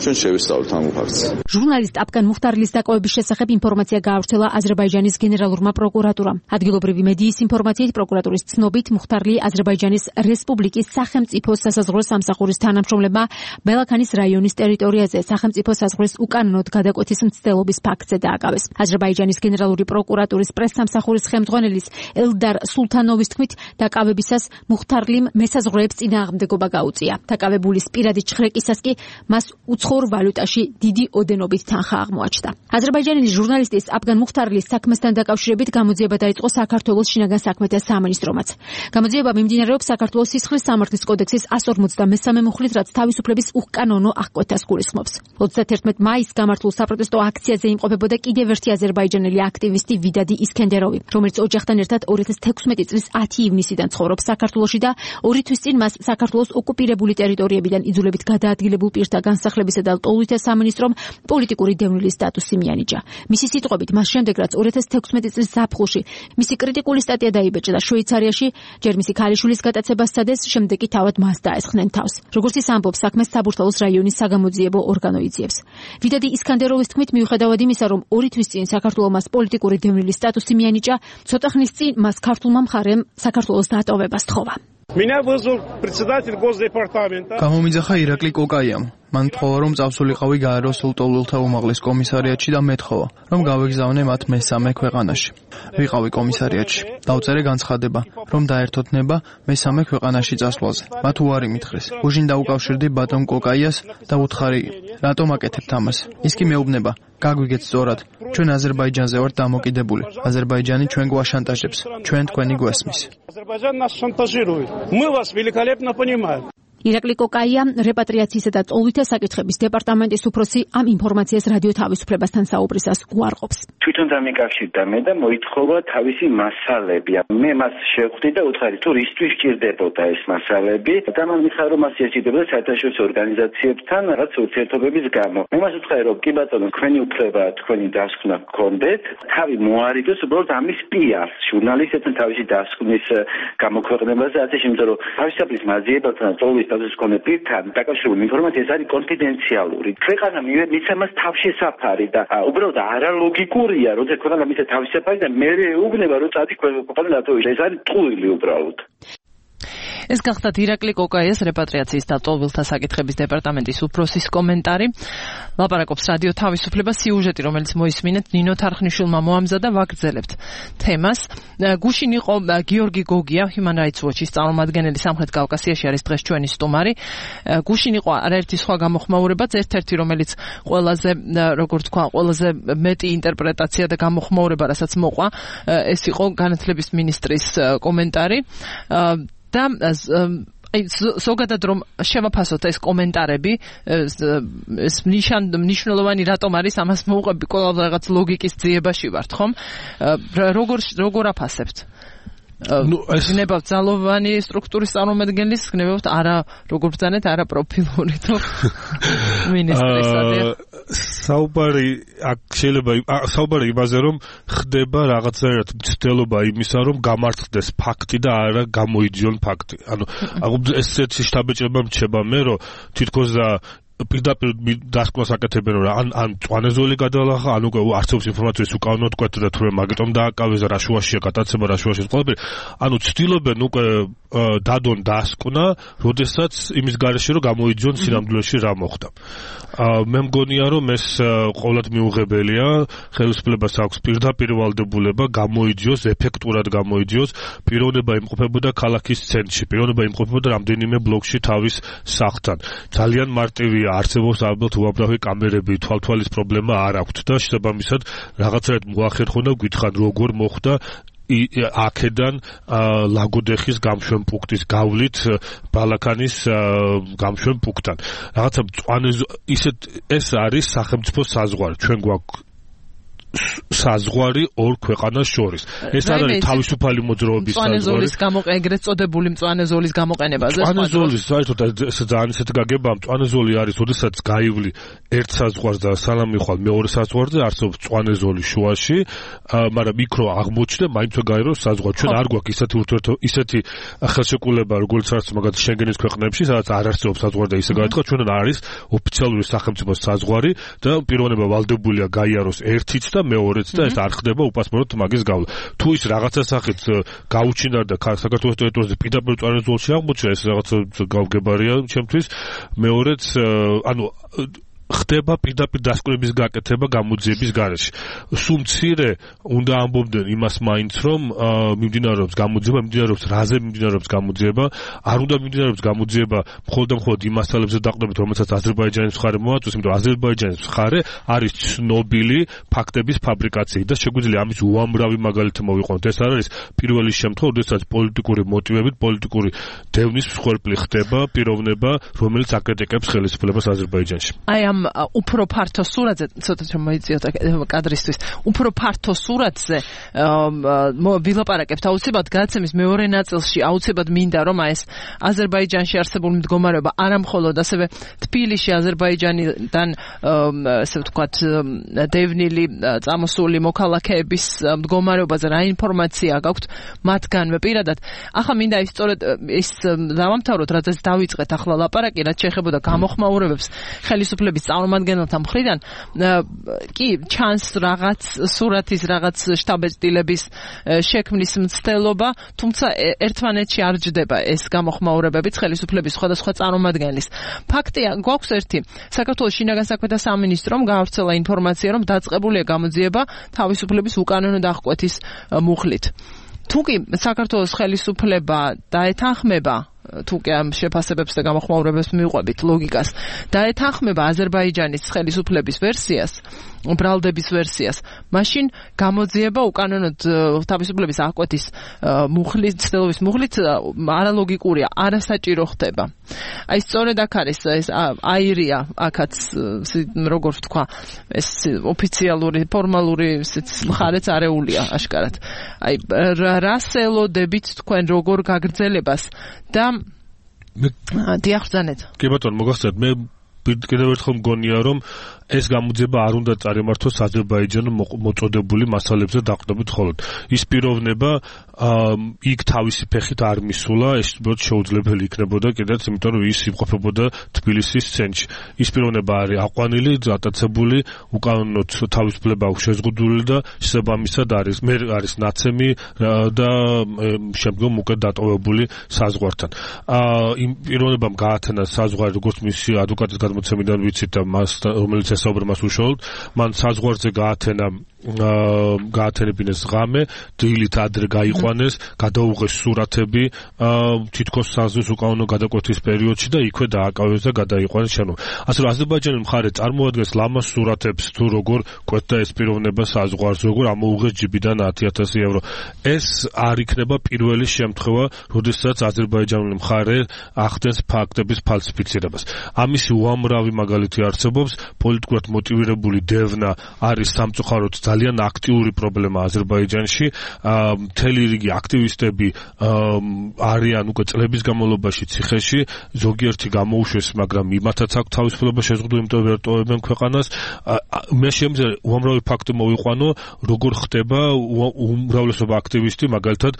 [SPEAKER 8] ჩვენ შევისწავლეთ ამ ფაქტს.
[SPEAKER 6] ჟურნალისტ აფგან მუხტარლის დაკავების შესახებ ინფორმაცია გაავრცელა აზერბაიჯანის გენერალურმა პროკურატურამ. ადგილობრივი მედიის ინფორმაციით პროკურატურის ცნობით მუხტარლი აზერბაიჯანის რესპუბლიკის სახელმწიფო სასაზღვრო სამსახურის თანამშრომლებმა ბელაქანის რაიონის ტერიტორიაზე სახელმწიფო საზღვრის უკანონოდ გადაკვეთის მცდელობის ფაქტზე დააკავეს. აზერბაიჯანის გენერალური პროკურატურის პრესსამსახურის ხელმძღვანელის ელდარ სულთანოვის თქმით, დაკავებისას მუხტარლიმ მესაზღვრეებს წინააღმდეგობა გაუწია. დაკავებულის პირადი ჩხრეკისას კი მას უცხოურ ვალუტაში დიდი ოდენობით თანხა აღმოაჩნდა. აზერბაიჯანელი ჟურნალისტის აფგან მუხტარლის საქმესთან დაკავშირებით გამოძიება დაიწყო საქართველოს შინაგან საქმეთა სამინისტრომაც. გამოძიება მიმდინარეობს საქართველოს სისხლის სამართლის კოდექსის εκατს ორმოცდამესამე მუხლით, რაც თავისუფლების უკანონო აღკვეთას გულისხმობს. ოცდაათერთმეტ მაისს გამართულ საპროტესტო აქციაზე იმყოფებოდა კიდევ ერთი აზერბაიჯანელი აქტივისტი ვიდადი ისქენდეროვი, რომელიც ოჯახთან ერთად ორი ათას თექვსმეტი წლის ათი ივნისიდან ცხოვრობს საქართველოში და ორი თვის წინ მას საქართველოს ოკუპირებული ტერიტორიებიდან იძულებით გადაადგილებულ პირთა განსახლებისა და ლტოლვითა სამინისტრომ პოლიტიკური დევნილის სტატუსი მიანიჭა. მისი სიტყვებით, მას შემდეგ რაც ორი ათას თექვსმეტი წლის ზაფხულში მისი კრიტიკული სტატია დაიბეჭდა და შვეიცარიაში ჯერ მისი ქალიშვილის გატაცებას სცადეს, შემდეგ კი თავად მას დაესხნენ თავს. როგორც ის ამბობს, საქმეს საბურთალოს რაიონის საგამოძიებო ორგანო იძიებს. ვიდადი ისქანდეროვის თქმით, მიუხედავად იმისა, რომ ორი თვის წინ საქართველოს მას პოლიტიკური დევნილის სტატუსი მიანიჭა, ცოტა ხნის წინ მას ქართულმა მხარემ საქართველოს დატოვება სთხოვა.
[SPEAKER 9] Меня вызвал председатель Госдепартамента.
[SPEAKER 10] გამომიძახა ირაკლი კოკაიამ. მან თხოვა, რომ წავსულიყავი გაეროს ლტოლვილთა უმაღლეს კომისარიატში და მეთხოვა, რომ გავეგზავნე მათ მესამე ქვეყანაში. ვიყავი კომისარიატში. დავწერე განცხადება, რომ დაერთოთ ნება მესამე ქვეყანაში წასვლაზე. მათ უარი მითხრეს. უჟინ დაუკავშირდი ბატონ კოკაიას და უთხარი, რატომ აკეთებთ ამას? ის კი მეუბნება, გაგვიგეთ სწორად, ჩვენ აზერბაიჯანზე ვართ დამოკიდებული. აზერბაიჯანი ჩვენ გვაშანტაჟებს, ჩვენ თქვენი გვესმის.
[SPEAKER 9] Азербайджан нас шантажирует. Мы вас великолепно понимаем.
[SPEAKER 6] ირაკლი კოკაია რეპატრიაციისა და ტოლვითა საკითხების დეპარტამენტის უფროსი ამ ინფორმაციას რადიო თავისუფლებასთან საუბრისას უარყოფს.
[SPEAKER 11] თვითონ დამიკავშირდა მე და მოითხოვა თავისი მასალები. მე მას შევხვდი და უთხარი თუ რისთვის სჭირდებოდა ეს მასალები და მან მითხრა რომ მას სჭირდებოდა საერთაშორისო ორგანიზაციებთან რაღაც ურთიერთობების გამო. მე მას უთხარი რომ კი ბატონო, თქვენი უფლება, თქვენი დასკვნა გქონდეთ, თავი მოარიდოს უბრალოდ ამის პიარს, ჟურნალისტებთან თავისი დასკვნის გამოქვეყნებაზე, ასე შემიძლია რომ თავისუფლის მაძიებელთან ტოლვის კონე პირთან დაკავშირებული ინფორმაცია ეს არის კონფიდენციალური. ქვეყანა მიცემას თავშესაფარი და უბრალოდ არალოგიკურია, როცა ქვეყანა მიცე თავშესაფარი და მე ეუბნება რომ წადი ქვეყანა დატოვოს. ეს არის ტყუილი უბრალოდ.
[SPEAKER 3] ეს გახლდათ ირაკლი კოკაიას რეპატრიაციის და ტოლვილთა საკითხების დეპარტამენტის უფროსის კომენტარი. ლაპარაკობს რადიო თავისუფლება, სიუჟეტი, რომელიც მოისმინეთ ნინო თარხნიშვილმა მოამზადა, ვაგრძელებთ თემას. გუშინ იყო გიორგი გოგია, Human Rights Watch-ის წარმომადგენელი სამხრეთ კავკასიაში, არის დღეს ჩვენი სტუმარი. გუშინ იყო არაერთი სხვა გამოხმაურებაც, ერთ-ერთი რომელიც ყველაზე, როგორც თქვა, ყველაზე მეტი ინტერპრეტაცია და გამოხმაურება, რასაც მოყვა, ეს იყო განათლების მინისტრის კომენტარი. და აი ზოგადად რომ შევაფასოთ ეს კომენტარები, ეს მნიშვნელოვანი რატომ არის, ამას მოუყვები ყველა რაღაც ლოგიკის ძიებაში ვართ, ხომ? როგორ როგორ აფასებთ? ნუ ეს ნებავთ ძალოვანი სტრუქტურის წარმომადგენლის, ნებავთ არა როგორ ბრძანეთ, არა პროფილური თუ მინისტრისადია.
[SPEAKER 5] საუბარი აქ შეიძლება საუბარი იმაზე რომ ხდება რაღაცნაირად მცდელობა იმისა რომ გამართლდეს ფაქტი და არა გამოიძიონ ფაქტი. ანუ ესეთი შთაბეჭდება მრჩება მე რომ თითქოს და პირდაპირ დასკვნას აკეთებენ რომ ან ან წვანეზოლი გადალახა, ან უკვე არსებობს ინფორმაციის უკანონოდ კვეთა და თურმე მაგიტომ დააკავეს და რა შუაშია გადაცემა, რა შუაშია ყველაფერი. ანუ ცდილობენ უკვე დადონ დასკვნა, როდესაც იმის გარეშე რომ გამოიძიონ სინამდვილეში რა მოხდა. მე მგონია რომ ეს ყოველად მიუღებელია, ხელისუფლებას აქვს პირდაპირ ვალდებულება გამოიძიოს, ეფექტურად გამოიძიოს, პიროვნება იმყოფებოდა ქალაქის ცენტრში, პიროვნება იმყოფებოდა რამდენიმე ბლოკში თავის სახლთან. ძალიან მარტივია, არსებობს ალბათ უამრავი კამერები, თვალთვალის პრობლემა არ აქვთ და შესაბამისად რაღაცაერთ მოახერხონ და გითხრან როგორ მოხდა აქედან ლაგოდეხის გამშვენ პუნქტის გავლით ბალაკანის გამშვენ პუნქტთან. რაღაცა მწვანე ისეთ ეს არის სახელმწიფო საზღვარი. ჩვენ გვაქვს საზღვარი ორ ქვეყანას შორის. ეს არ არის თავისუფალი მოძრაობის საზღვარი.
[SPEAKER 3] მწვანე ზოლის გამოყენება, ეგრეთ წოდებული მწვანე ზოლის გამოყენებაზე.
[SPEAKER 5] მწვანე ზოლის საერთოდ ეს ძალიან ისეთი გაგება, მწვანე ზოლი არის, როდესაც გაივლი ერთ საზღვარს და სანამ მიხვალ მეორე საზღვარზე, არსებობს მწვანე ზოლი შუაში, მაგრამ იქ რო აღმოჩნდა, მაინც გაეროს საზღვარი. ჩვენ არ გვაქვს ისეთი ურთიერთო ისეთი ხელშეკრულება, როგორც არის მაგალითად შენგენის ქვეყნებში, სადაც არ არსებობს საზღვარი და ისე გაითქვა, ჩვენ არის ოფიციალური სახელმწიფოს საზღვარი და პიროვნება ვალდებულია გაიაროს ერთიც და მეორეც და ეს არ ხდება უპასპორტო მაგის გავლა. თუ ის რაღაცა სახით გაუჩინარდა საქართველოს ტერიტორიაზე პირდაპირ მწვანე ზოლში აღმოჩნდა, ეს რაღაცა გავგებარია ჩემთვის. მეორეც ანუ ხდება პირდაპირ დასკვნების გაკეთება გამოძიების გარეშე. სულ მცირე უნდა ამბობდნენ იმას მაინც რომ მიმდინარეობს გამოძიება, მიმდინარეობს რაზე მიმდინარეობს გამოძიება, არ უნდა მიმდინარეობს გამოძიება მხოლოდ და მხოლოდ იმ მასალებზე დაყრდნობით, რომელსაც აზერბაიჯანის მხარე მოაწვის, იმიტომ რომ აზერბაიჯანის მხარე არის ცნობილი ფაქტების ფაბრიკაციით და შეგვიძლია ამის უამრავი მაგალითი მოვიყვანოთ. ეს არ არის პირველი შემთხვევა, როდესაც პოლიტიკური მოტივებით, პოლიტიკური დევნის მსხვერპლი ხდება პიროვნება, რომელიც აკრიტიკებს ხელისუფლებას აზერბაიჯანში.
[SPEAKER 3] აი ამ უფრო ფართო სურათზე, ცოტა რომ მოიწიოთ კადრისთვის, უფრო ფართო სურათზე ვილაპარაკებთ აუცილებლად გადაცემის მეორე ნაწილში, აუცილებლად მინდა რომ ეს აზერბაიჯანში არსებული მდგომარეობა არა მხოლოდ ასევე თბილისში აზერბაიჯანიდან ესე ვთქვათ დევნილი წამოსული მოქალაქეების მდგომარეობაზე რა ინფორმაცია გაქვთ მათგანვე პირადად. ახლა მინდა ის სწორედ ის დავამთავროთ, რადგან დავიწყეთ ახლა ლაპარაკი, რაც შეეხებოდა გამოხმაურებებს ხელისუფლების წარმომადგენელთა მხრიდან, კი ჩანს რაღაც სურათის, რაღაც შტაბ-ეჭდილების შექმნის მცდელობა, თუმცა ერთმანეთში არ ჯდება ეს გამოხმაურებებით ხელისუფლების სხვადასხვა წარმომადგენლის. ფაქტია, გვაქვს ერთი, საქართველოს შინაგან საქმეთა სამინისტრომ გაავრცელა ინფორმაცია, რომ დაწყებულია გამოძიება თავისუფლების უკანონო დახკვეთის მუხლით. თუკი საქართველოს ხელისუფლება დაეთანხმება თუ კი ამ შეფასებებს და გამოხმაურებებს მივყვებით ლოგიკას, დაეთანხმება აზერბაიჯანის ხელისუფლების ვერსიას, ბრალდების ვერსიას, მაშინ გამოძიება უკანონოდ თავისუფლების აღკვეთის მუხლით, ცდილობის მუხლით არალოგიკურია, არასაჭირო ხდება. აი სწორედ აქ არის ეს აირია, აქაც როგორ ვთქვა, ეს ოფიციალური, ფორმალური მხარეც არეულია აშკარად. აი რას ელოდებით თქვენ როგორ გაგრძელებას და დიახსანეთ.
[SPEAKER 5] კი ბატონო, მოგახსენეთ, მე კიდევ ერთხელ მგონია რომ ეს გამოძიება არ უნდა წარიმართოს აზერბაიჯანო მოწოდებული მასალებზე დაყრდნობით მხოლოდ. ის პიროვნება იქ თავისი ფეხით არ მისულა, ეს უბრალოდ შეუძლებელი იქნებოდა კიდეც, იმიტომ რომ ის იმყოფებოდა თბილისის ცენტრში. ის პიროვნება არის აყვანილი, დატაცებული, უკანონოდ თავისუფლება აქვს შეზღუდული და შესაბამისად არის მე არის ნაცემი და შემდგომ უკვე დატოვებული საზღვართან. იმ პიროვნებამ გაათენა საზღვარი, როგორც მისი ადვოკატის გადმოცემიდან ვიცით და მას რომელიც ესაუბრა მას უშუალოდ, მან საზღვარზე გაათენა გაათენებინეს ღამე, დილით ადრე გაიყვანეს, გადაუღეს სურათები თითქოს საზღვრის უკანონო გადაკვეთის პერიოდში და იქვე დააკავეს და გადაიყვანეს შენობა. ასე რომ აზერბაიჯანის მხარე წარმოადგენს ლამაზ სურათებს თუ როგორ კვეთდა ეს პიროვნება საზღვარზე, როგორ ამოუღეს ჯიბიდან ათი ათასი ევრო. ეს არ იქნება პირველი შემთხვევა, როდესაც აზერბაიჯანული მხარე ახდენს ფაქტების ფალსიფიცირებას. ამისი უამრავი მაგალითი არსებობს, პოლიტიკურად მოტივირებული დევნა არის სამწუხაროდ ძალიან აქტიური პრობლემა აზერბაიჯანში. მთელი რიგი აქტივისტები არიან უკვე წლების განმავლობაში ციხეში, ზოგიერთი გამოუშვეს, მაგრამ იმათაც აქვს თავისუფლება შეზღუდული, იმიტომ ვერ ტოვებენ ქვეყანას. მე შემიძლია უამრავი ფაქტი მოვიყვანო, როგორ ხდება უმრავლესობა აქტივისტი, მაგალითად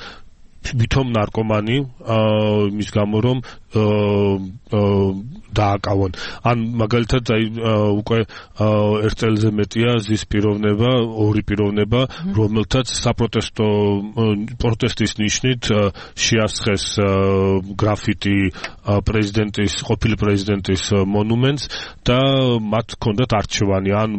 [SPEAKER 5] ვითომ ნარკომანი, იმის გამო რომ დააკავონ. ან მაგალითად აი უკვე ერთ წელზე მეტია ზის პიროვნება, ორი პიროვნება, რომელთაც საპროტესტო პროტესტის ნიშნით შეასხეს გრაფიტი პრეზიდენტის, ყოფილი პრეზიდენტის მონუმენტს და მათ ჰქონდათ არჩევანი, ან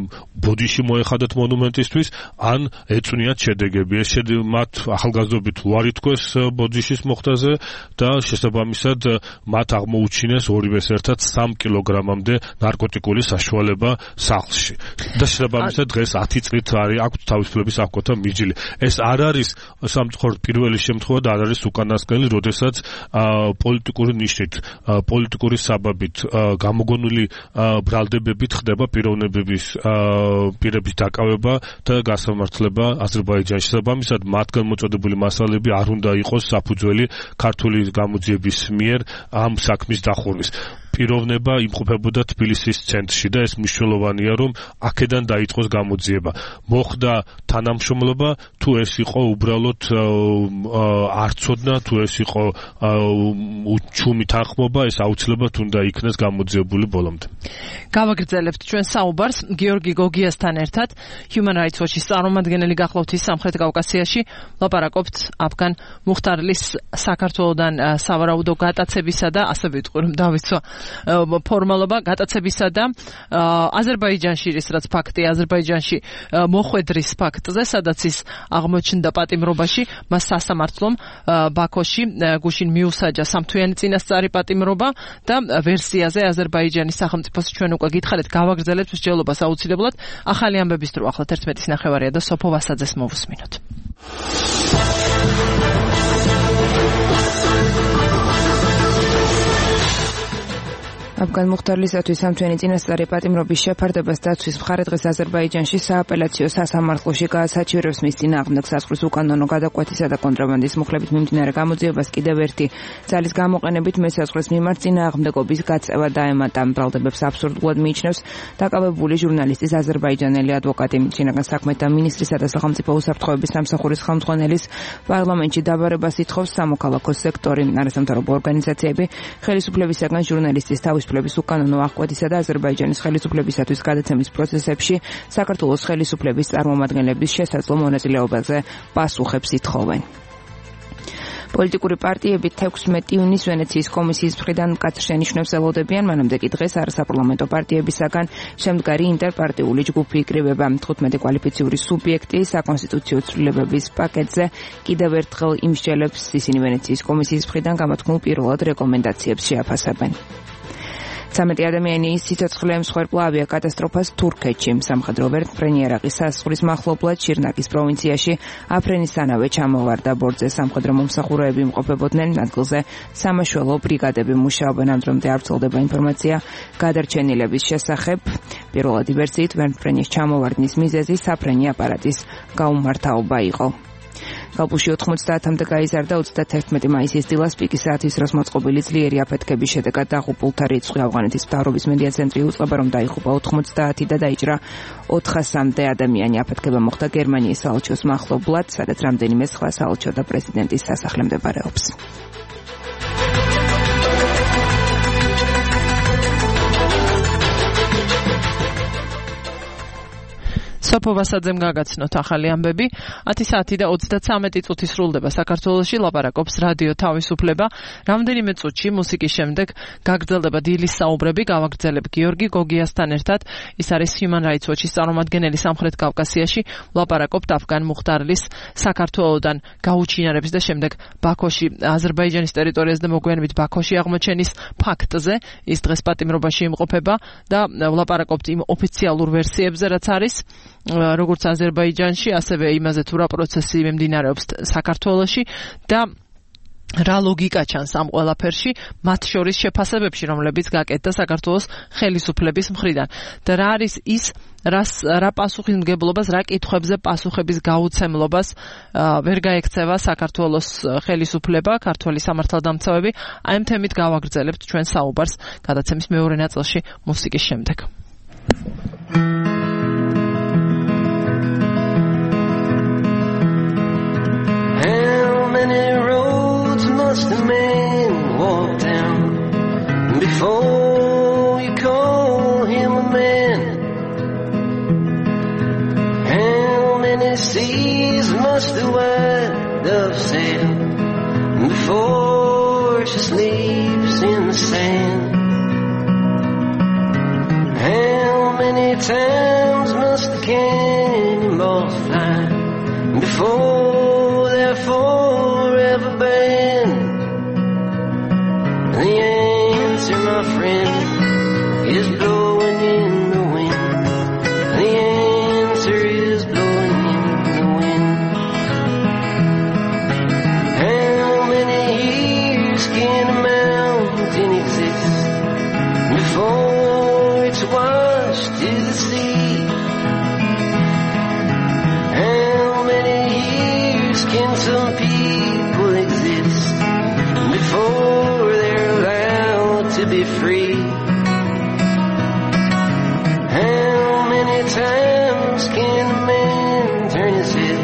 [SPEAKER 5] ბოდიში მოეხადათ მონუმენტისთვის, ან ეწვნიათ შედეგები. ეს მათ ახალგაზრდობით უარი თქვეს ბოდიშის მოხდაზე და შესაბამისად მათ აღმოუჩინეს ორივეს ერთად სამ კილოგრამამდე ნარკოტიკული საშუალება სახლში. და შესაბამისად დღეს ათი წლით არის აქვს თავისუფლების აღკვეთა მიჯილი. ეს არ არის სამწუხაროდ პირველი შემთხვევა და არ არის უკანასკნელი, როდესაც პოლიტიკური ნიშნით, პოლიტიკური საბაბით გამოგონილი ბრალდებებით ხდება პიროვნებების პირების დაკავება და გასამართლება აზერბაიჯანში. შესაბამისად მათგან მოწოდებული მასალები არ უნდა იყოს საფუძველი ქართული გამოძიების მიერ ამ საქმის დახურვის. პიროვნება იმყოფებოდა თბილისის ცენტრში და ეს მნიშვნელოვანია, რომ აქედან დაიწყოს გამოძიება. მოხდა თანამშრომლობა, თუ ეს იყო უბრალოდ არცოდნა, თუ ეს იყო ჩუმი თანხმობა, ეს აუცილებლად უნდა იქნეს გამოძიებული ბოლომდე.
[SPEAKER 3] გავაგრძელებთ ჩვენ საუბარს გიორგი გოგიასთან ერთად, Human Rights Watch-ის წარმომადგენელი გახლავთ ის სამხრეთ კავკასიაში, ლაპარაკობთ აფგან მუხტარლის საქართველოდან სავარაუდო გატაცებისა და ასე ვიტყვი, რომ დავიცვა ფორმალობა გატაცებისა და აზერბაიჯანში ის რაც ფაქტია, აზერბაიჯანში მოხვედრის ფაქტზე, სადაც ის აღმოჩნდა პატიმრობაში, მას სასამართლომ ბაქოში გუშინ მიუსაჯა სამთვიანი წინასწარი პატიმრობა და ვერსიაზე აზერბაიჯანის სახელმწიფოს ჩვენ უკვე გითხარით, გავაგრძელებთ მსჯელობას აუცილებლად. ახალი ამბების დრო ახლა ერთმეტის ნახევარია და სოფო ვასაძეს მოვუსმინოთ.
[SPEAKER 2] აფგან მუხტარლისათვის სამთვიანი წინასწარი პატიმრობის შეფარდებას დაცვის მხარე დღეს აზერბაიჯანში სააპელაციო სასამართლოში გაასაჩივრებს მის წინააღმდეგ საზღვრის უკანონო გადაკვეთისა და კონტრაბანდის მუხლებით მიმდინარე გამოძიებას კიდევ ერთი ძალის გამოყენებით მესაზღვრის მიმართ წინააღმდეგობის გაწევა დაემატა. ბრალდებებს აბსურდულად მიიჩნევს დაკავებული ჟურნალისტის აზერბაიჯანელი ადვოკატი. შინაგან საქმეთა მინისტრისა და სახელმწიფო უსაფრთხოების სამსახურის ხელმძღვანელის პარლამენტში დაბარებას ითხოვს სამოქალაქო სექტორი, არასამთავრობო ორგანიზაციები, ხელისუფლებისაგან ჟურნალისტის თავის ხელისუფლების უკანონო აღკვეთისა და აზერბაიჯანის ხელისუფლებისათვის გადაცემის პროცესებში საქართველოს ხელისუფლების წარმომადგენლების შესაძლო მონაწილეობაზე პასუხებს ითხოვენ. პოლიტიკური პარტიები თექვსმეტი ივნისს ვენეციის კომისიის მხრიდან მკაცრ შენიშვნებს ელოდებიან, მანამდე კი დღეს არასაპარლამენტო პარტიებისაგან შემდგარი ინტერპარტიული ჯგუფი იკრიბება. თხუთმეტი კვალიფიციური სუბიექტი საკონსტიტუციო ცვლილებების პაკეტზე კიდევ ერთხელ იმსჯელებს, ისინი ვენეციის კომისიის მხრიდან გამოთქმულ პირველად რეკომენდაციებს შეაფასებენ. ცამეტი ადამიანი სიცოცხლე ემსხვერპლა ავიაკატასტროფას თურქეთში. სამხედრო ვერტმფრენი ერაყის საზღვრის მახლობლად შირნაკის პროვინციაში აფრენისთანავე ჩამოვარდა ბორტზე. სამხედრო მომსახურეები იმყოფებოდნენ ადგილზე, სამაშველო ბრიგადები მუშაობენ. ამ დრომდე არ ვრცელდება ინფორმაცია გადარჩენილების შესახებ. პირველადი ვერსიით ვერტმფრენის ჩამოვარდნის მიზეზი საფრენი აპარატის გაუმართავობა იყო. კალბუში ოთხმოცდაათამდე გაიზარდა ოცდაათერთმეტი მაისის დილას პიკის საათის დროს მოწყობილი ძლიერი აფეთქების შედეგად დაღუპულთა რიცხვი. ავღანეთის მთავრობის მედია ცენტრი უწყება, რომ დაიღუპა ოთხმოცდაათი და დაიჭრა ოთხასამდე ადამიანი. აფეთქება მოხდა გერმანიის საელჩოს მახლობლად, სადაც რამდენიმე სხვა საელჩო და პრეზიდენტის სასახლე მდებარეობს.
[SPEAKER 3] სოფო ვასაძემ გაგაცნოთ ახალი ამბები. ათი საათი და ოცდაცამეტი წუთი სრულდება საქართველოში, ლაპარაკობს რადიო თავისუფლება. რამდენიმე წუთში მუსიკის შემდეგ გაგრძელდება დილის საუბრები, გავაგრძელებ გიორგი გოგიასთან ერთად. ის არის Human Rights Watch-ის წარმომადგენელი სამხრეთ კავკასიაში, ლაპარაკობთ აფგან მუხტარლის საქართველოდან გაუჩინარების და შემდეგ ბაქოში, აზერბაიჯანის ტერიტორიაზე და მოგვიანებით ბაქოში აღმოჩენის ფაქტზე. ის დღეს პატიმრობაში იმყოფება და ლაპარაკობთ იმ ოფიციალურ ვერსიებზე, რაც არის როგორც აზერბაიჯანში, ასევე იმაზე თუ რა პროცესი მიმდინარეობს საქართველოში და რა ლოგიკა ჩანს ამ ყველაფერში, მათ შორის შეფასებებში, რომლებიც გაკეთდა საქართველოს ხელისუფლების მხრიდან. და რა არის ის, რას რა პასუხისმგებლობას, რა კითხვებზე პასუხების გაუცემლობას ვერ გაექცევა საქართველოს ხელისუფლება, ქართველი სამართალდამცავები. აი ამ თემით გავაგრძელებთ ჩვენ საუბარს გადაცემის მეორე ნაწილში მუსიკის შემდეგ.
[SPEAKER 12] How many roads must a man walk down many seas must the white dove sail before she sleeps in the sand? How many times must the cannonballs fly before they're forever banned? The answer, my friend, is blowing in the wind. The answer is blowing in the wind. How many years can a mountain exist before it's washed to the sea? How many years can some people exist before they're allowed to be free? How many times can a man turn his head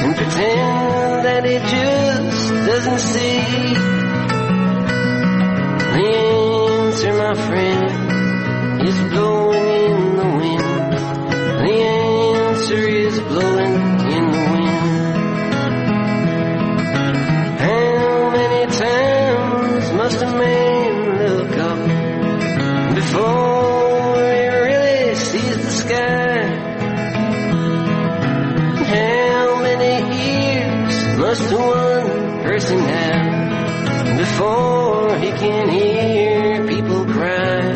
[SPEAKER 12] and pretend that he just doesn't see? The answer, my friend, is blowing in the wind. The answer is blowing in the wind. How many times must a man look up before he really sees the sky? How many ears must one person have before he can hear people cry?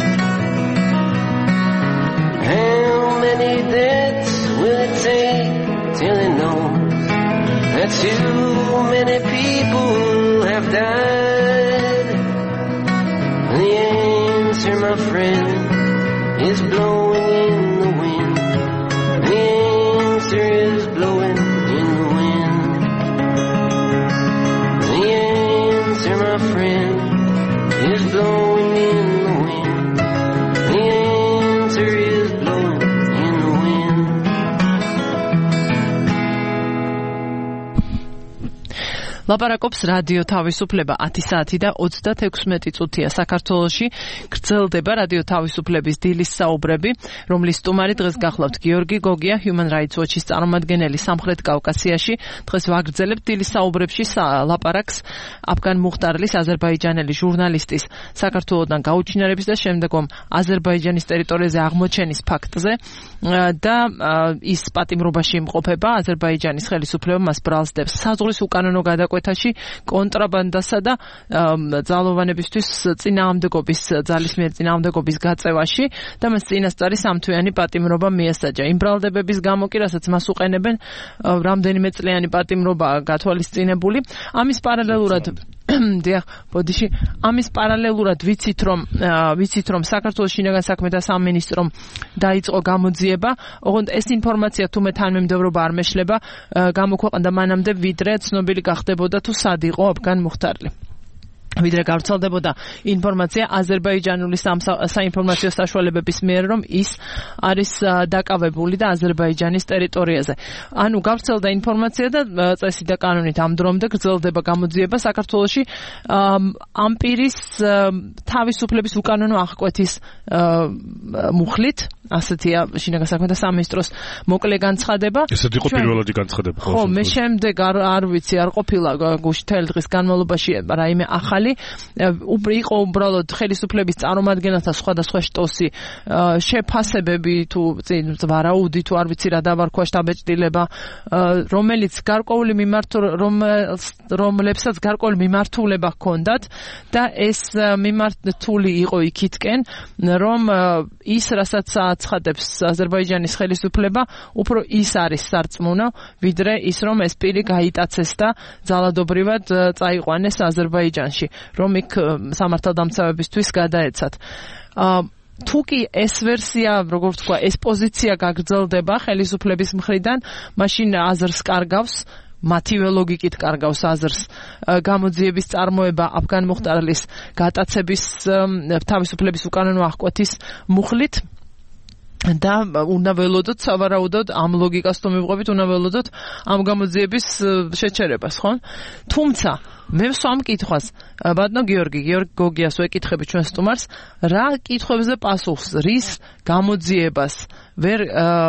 [SPEAKER 12] How many deaths will it take till he knows that too many people have died? The answer, my friend, is blowing in the wind. The answer is blowing in the wind. The answer, my friend, is blowing in the wind. The answer is blowing in the wind.
[SPEAKER 3] ლაპარაკობს რადიო თავისუფლება ათი საათი და ოცდათექვსმეტი წუთია საქართველოში. გრძელდება რადიო თავისუფლების დილის საუბრები, რომლის სტუმარი დღეს გახლავთ გიორგი გოგია, Human Rights Watch-ის წარმომადგენელი სამხრეთ კავკასიაში. დღეს ვაგრძელებთ დილის საუბრებში ლაპარაკს აფგან მუხტარლის, აზერბაიჯანელი ჟურნალისტის საქართველოდან გაუჩინარების და შემდეგომ აზერბაიჯანის ტერიტორიაზე აღმოჩენის ფაქტზე და ის პატიმრობაში იმყოფება. აზერბაიჯანის ხელისუფლება მას ბრალს დებს საზღვრის უკანონო გადაკვეთაში, კონტრაბანდასა და ძალოვანებისთვის წინააღმდეგობის ძალისმიერ წინააღმდეგობის გაწევაში და მას წინასწარი სამთვიანი პატიმრობა მიესაჯა. იმ ბრალდებების გამო კი, რასაც მას უყენებენ, რამდენიმე წლიანი პატიმრობა გათვალისწინებული. ამის პარალელურად დიახ, ბოდიში, ამის პარალელურად ვიცით რომ ვიცით რომ საქართველოს შინაგან საქმეთა სამინისტრომ დაიწყო გამოძიება, ოღონდ ეს ინფორმაცია თუმე თანმიმდევრობა არ მეშლება, გამოქვეყნდა მანამდე, ვიდრე ცნობილი გახდებოდა თუ სად იყო აფგან მუხტარლი. ვიდრე გავრცელდებოდა ინფორმაცია აზერბაიჯანული საინფორმაციო საშუალებების მიერ, რომ ის არის დაკავებული და აზერბაიჯანის ტერიტორიაზე. ანუ გავრცელდა ინფორმაცია და წესი და კანონით ამ დრომდე გრძელდება გამოძიება საქართველოში ამ პირის თავისუფლების უკანონო აღკვეთის მუხლით, ასეთია შინაგან საქმეთა სამინისტროს მოკლე განცხადება.
[SPEAKER 5] ესეთი იყო პირველადი განცხადება.
[SPEAKER 3] ხო, მე შემდეგ არ ვიცი, არ ყოფილა გუშინ თელი დღის განმავლობაში რაიმე ახალი იყო უბრალოდ ხელისუფლების წარმომადგენელთა სხვადასხვა შტოსი, შეფასებები თუ ვარაუდი თუ არ ვიცი რა დავარქვა შტაბეჭდილება, რომელიც გარკვეული მიმართ რომლებსაც გარკვეული მიმართულება ჰქონდათ და ეს მიმართული იყო იქითკენ, რომ ის რასაც აცხადებს აზერბაიჯანის ხელისუფლება, უფრო ის არის სარწმუნო, ვიდრე ის რომ ეს პირი გაიტაცეს და ძალადობრივად წაიყვანეს აზერბაიჯანში, რომ იქ სამართალდამცავებისთვის გადაეცათ. თუ კი ეს ვერსია, როგორ ვთქვა, ეს პოზიცია გაგრძელდება ხელისუფლების მხრიდან, მაშინ აზრს კარგავს, მათივე ლოგიკით კარგავს აზრს გამოძიების წარმოება აფგან მუხტარლის გატაცების თავისუფლების უკანონო აღკვეთის მუხლით. და უნდა ველოდოთ სავარაუდოდ ამ ლოგიკას თუ მივყვებით, უნდა ველოდოთ ამ გამოძიების შეჩერებას, ხო? თუმცა მე ვსვამ კითხვას, ბატონო გიორგი, გიორგი გოგიას ვეკითხები ჩვენ სტუმარს, რა კითხვებზე პასუხს, რის გამოძიებას ვერ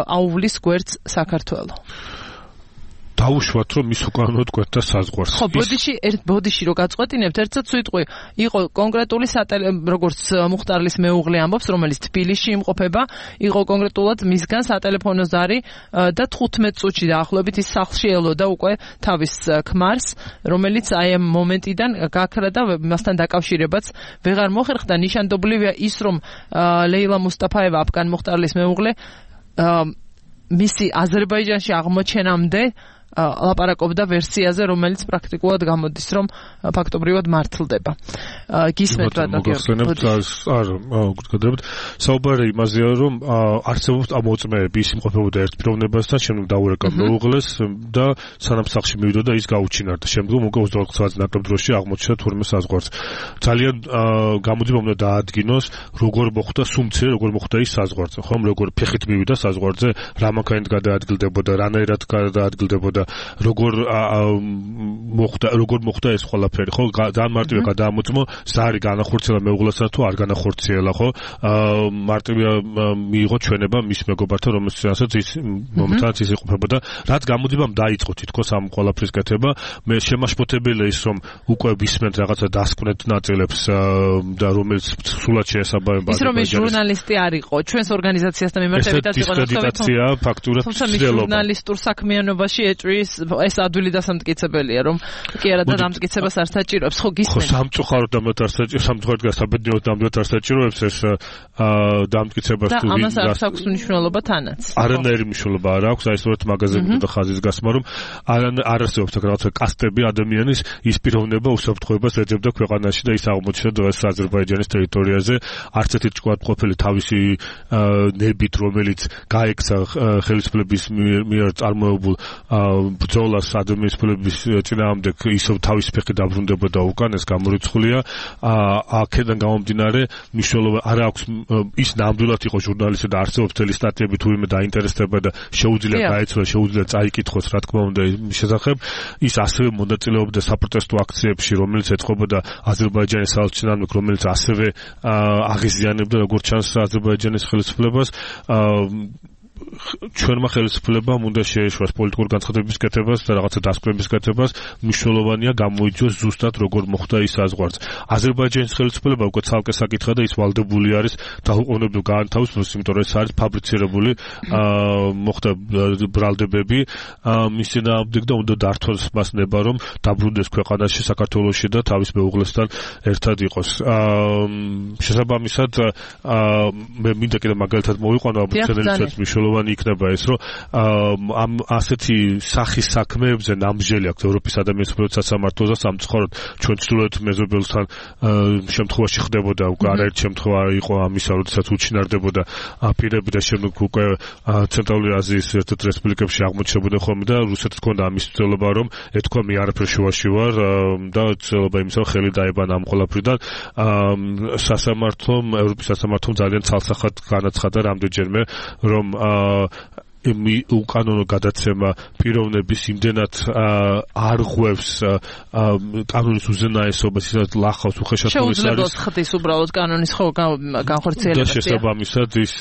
[SPEAKER 3] აუვლის გვერდს საქართველო?
[SPEAKER 5] დაუშვათ რომ ის უკანონოდ კვეთდა საზღვარს.
[SPEAKER 3] ხო, ბოდიში ერთ ბოდიში რო გაწყვეტინებთ, ერთსაც ვიტყვი, იყო კონკრეტული როგორც მუხტარლის მეუღლე ამბობს, რომელიც თბილისში იმყოფება, იყო კონკრეტულად მისგან სატელეფონო ზარი და თხუთმეტ წუთში დაახლოებით ის სახლში ელოდა უკვე თავის ქმარს, რომელიც აი ამ მომენტიდან გაქრა და მასთან დაკავშირებაც ვეღარ მოხერხდა. ნიშანდობლივია ის, რომ ლეილა მუსტაფაევა, აფგან მუხტარლის მეუღლე, მისი აზერბაიჯანში აღმოჩენამდე ლაპარაკობდა ვერსიაზე, რომელიც პრაქტიკულად გამოდის, რომ ფაქტობრივად მართლდება. გისმენთ
[SPEAKER 5] ბატონო. არა, გაგადებით. საუბარი იმაზეა, რომ არსებობს ამოწმეები, ის იმყოფებოდა ერთ პიროვნებასთან, შემდეგ დაურეკა მეუღლეს და სანამ სახლში მივიდა ის გაუჩინარდა. შემდგომ უკვე ოცდაოთხ საათის ნაკლებ დროში აღმოჩნდა თურმე საზღვარს. ძალიან გამოძიება უნდა დაადგინოს, როგორ მოხდა სუმცე, როგორ მოხდა ის საზღვარზე, ხომ, როგორ ფეხით მივიდა საზღვარზე, რა მანქანით გადაადგილდებოდა, რანაირად გადაადგილდებოდა, როგორ მოხდა როგორ მოხდა ეს ყველაფერი, ხო? ძალიან მარტივია გადაამოწმო, ზარი განახორციელა მეუღლესთან თუ არ განახორციელა, ხო? მარტივია მიიღო ჩვენება მის მეგობართან, რომელსაც ის მომთანაც ის იყოფებოდა, რაც გამოძიებამ დაიწყო თითქოს ამ ყველაფრის კეთება. მე შემაშფოთებელია ის, რომ უკვე ვისმენთ რაღაცა დასკვნეთ ნაწილებს და რომელიც სულად შეესაბამება
[SPEAKER 3] ის რომ ეს ჟურნალისტი არ იყო, ჩვენს ორგანიზაციასთან მიმართებითაც იყო
[SPEAKER 5] დისკრედიტაცია ფაქტურად ცდილობა.
[SPEAKER 3] ჟურნალისტურ საქმიანობაში ეს ადვილი დასამტკიცებელია, რომ კი არა და დამტკიცებას არ საჭიროებს, ხო გისმენთ?
[SPEAKER 5] ხო, სამწუხაროდ ამათ არ საჭიროებს, სამწუხაროდ გასაბედნიეროდ ამათ არ საჭიროებს ეს დამტკიცებას თუ
[SPEAKER 3] და ამას არ აქვს მნიშვნელობა თანაც.
[SPEAKER 5] არანაირი მნიშვნელობა არ აქვს, აი სწორედ მაღაზიები და ხაზის გასმა, რომ არ არსებობს რაღაცა კასტები ადამიანის ის პიროვნება უსაფრთხოებას ეძებდა ქვეყანაში და ის აღმოჩნდა დღეს აზერბაიჯანის ტერიტორიაზე, არც ერთი ჭკვათ ყოფილი თავისი ნებით, რომელიც გაექცა ხელისუფლების მიერ წარმოებულ ბრძოლას ადამიანის წინააღმდეგ ისევ თავის ფეხი დაბრუნდებოდა უკან, ეს გამორიცხულია. აქედან გამომდინარე მნიშვნელობა არ აქვს ის ნამდვილად იყო ჟურნალისტი და არსებობს თელი სტატიები თუ ვინმე დაინტერესდება და შეუძლია გაეცვალა, შეუძლია წაიკითხოს, რა თქმა უნდა მის შესახებ. ის ასევე მონაწილეობდა საპროტესტო აქციებში, რომელიც ეწყობოდა აზერბაიჯანის საელჩო წინააღმდეგ, რომელიც ასევე აღიზიანებდა როგორც ჩანს აზერბაიჯანის ხელისუფლებას. ჩვენმა ხელისუფლებამ უნდა შეეშვას პოლიტიკური განცხადების კეთებას და რაღაცა დასკვნების კეთებას, მნიშვნელოვანია გამოიძიოს ზუსტად როგორ მოხდა ის საზღვარს. აზერბაიჯანის ხელისუფლება უკვე ცალკე საკითხია და ის ვალდებული არის დაუყოვნებლივ გაანთავისუფლოს, იმიტომ რომ ეს არის ფაბრიცირებული მოხდა ბრალდებები მის წინააღმდეგ და უნდა დართოს მას ნება, რომ დაბრუნდეს ქვეყანაში, საქართველოში და თავის მეუღლესთან ერთად იყოს. შესაბამისად მე მინდა კიდე მაგალითად მოვიყვანო აბუცენელიცაც მნიშვნელოვანი იქნება ეს, რომ ამ ასეთი სახის საქმეებზე ნამჟელი აქვს ევროპის ადამიანის უფლებათა სასამართლოს და სამწუხაროდ ჩვენ ჩრდილოეთ მეზობელთან შემთხვევაში ხდებოდა უკვე არაერთ შემთხვევა იყო ამისა, როდესაც უჩინარდებოდა პირები და შემდეგ უკვე ცენტრალური აზიის ერთ-ერთ რესპუბლიკებში აღმოჩნდებოდა ხოლმე და რუსეთს ჰქონდა ამის ცდილობა, რომ ეთქვა მე არაფერ შუაში ვარ და ცდილობა იმისა, რომ ხელი დაებანა ამ ყველაფრიდან. სასამართლომ, ევროპის სასამართლომ ძალიან ცალსახად განაცხადა რამდენჯერმე, რომ უკანონო გადაცემა პიროვნების იმდენად არ ღვევს კანონის უზენაესობას, ისედაც ლახავს უხეშად არის.
[SPEAKER 3] შეუძლებლად ხდის უბრალოდ კანონის ხო განხორციელებას.
[SPEAKER 5] და შესაბამისად ის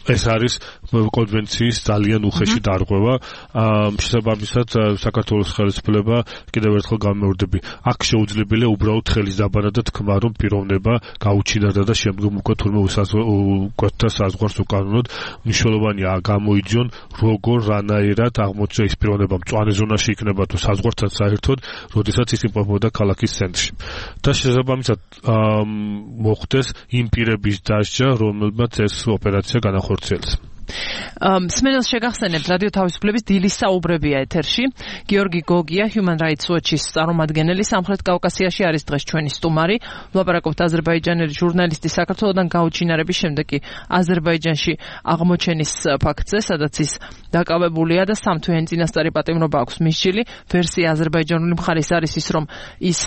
[SPEAKER 5] ეს არის კონვენციის ძალიან უხეში დარღვევა. შესაბამისად საქართველოს ხელისუფლება კიდევ ერთხელ გამეორდები, აქ შეუძლებელია უბრალოდ ხელის დაბანა და თქმა, რომ პიროვნება გაუჩინარდა და შემდგომ უკვე თურმე უკვეთდა საზღვარს უკანონოდ. მნიშვნელოვანია გამოიძიონ როგორ რანაირად აღმოჩნდა ის პიროვნება მწვანე ზონაში იქნება თუ საზღვართან საერთოდ, როდესაც ის იმყოფებოდა ქალაქის ცენტრში. და შესაბამისად მოხდეს იმ პირების დასჯა, რომელმაც ეს ოპერაცია განახორციელეს.
[SPEAKER 3] სმენელს შეგახსენებთ, რადიო თავისუფლების დილის საუბრებია ეთერში. გიორგი გოგია, Human Rights Watch-ის წარმომადგენელი, სამხრეთ კავკასიაში არის დღეს ჩვენი სტუმარი. ვლაპარაკობთ აზერბაიჯანელი ჟურნალისტის საქართველოდან გაუჩინარების შემდეგ კი აზერბაიჯანში აღმოჩენის ფაქტზე, სადაც ის დაკავებულია და სამთვიანი წინასწარი პატიმრობა აქვს მისჯილი. ვერსია აზერბაიჯანული მხარის არის ის, რომ ის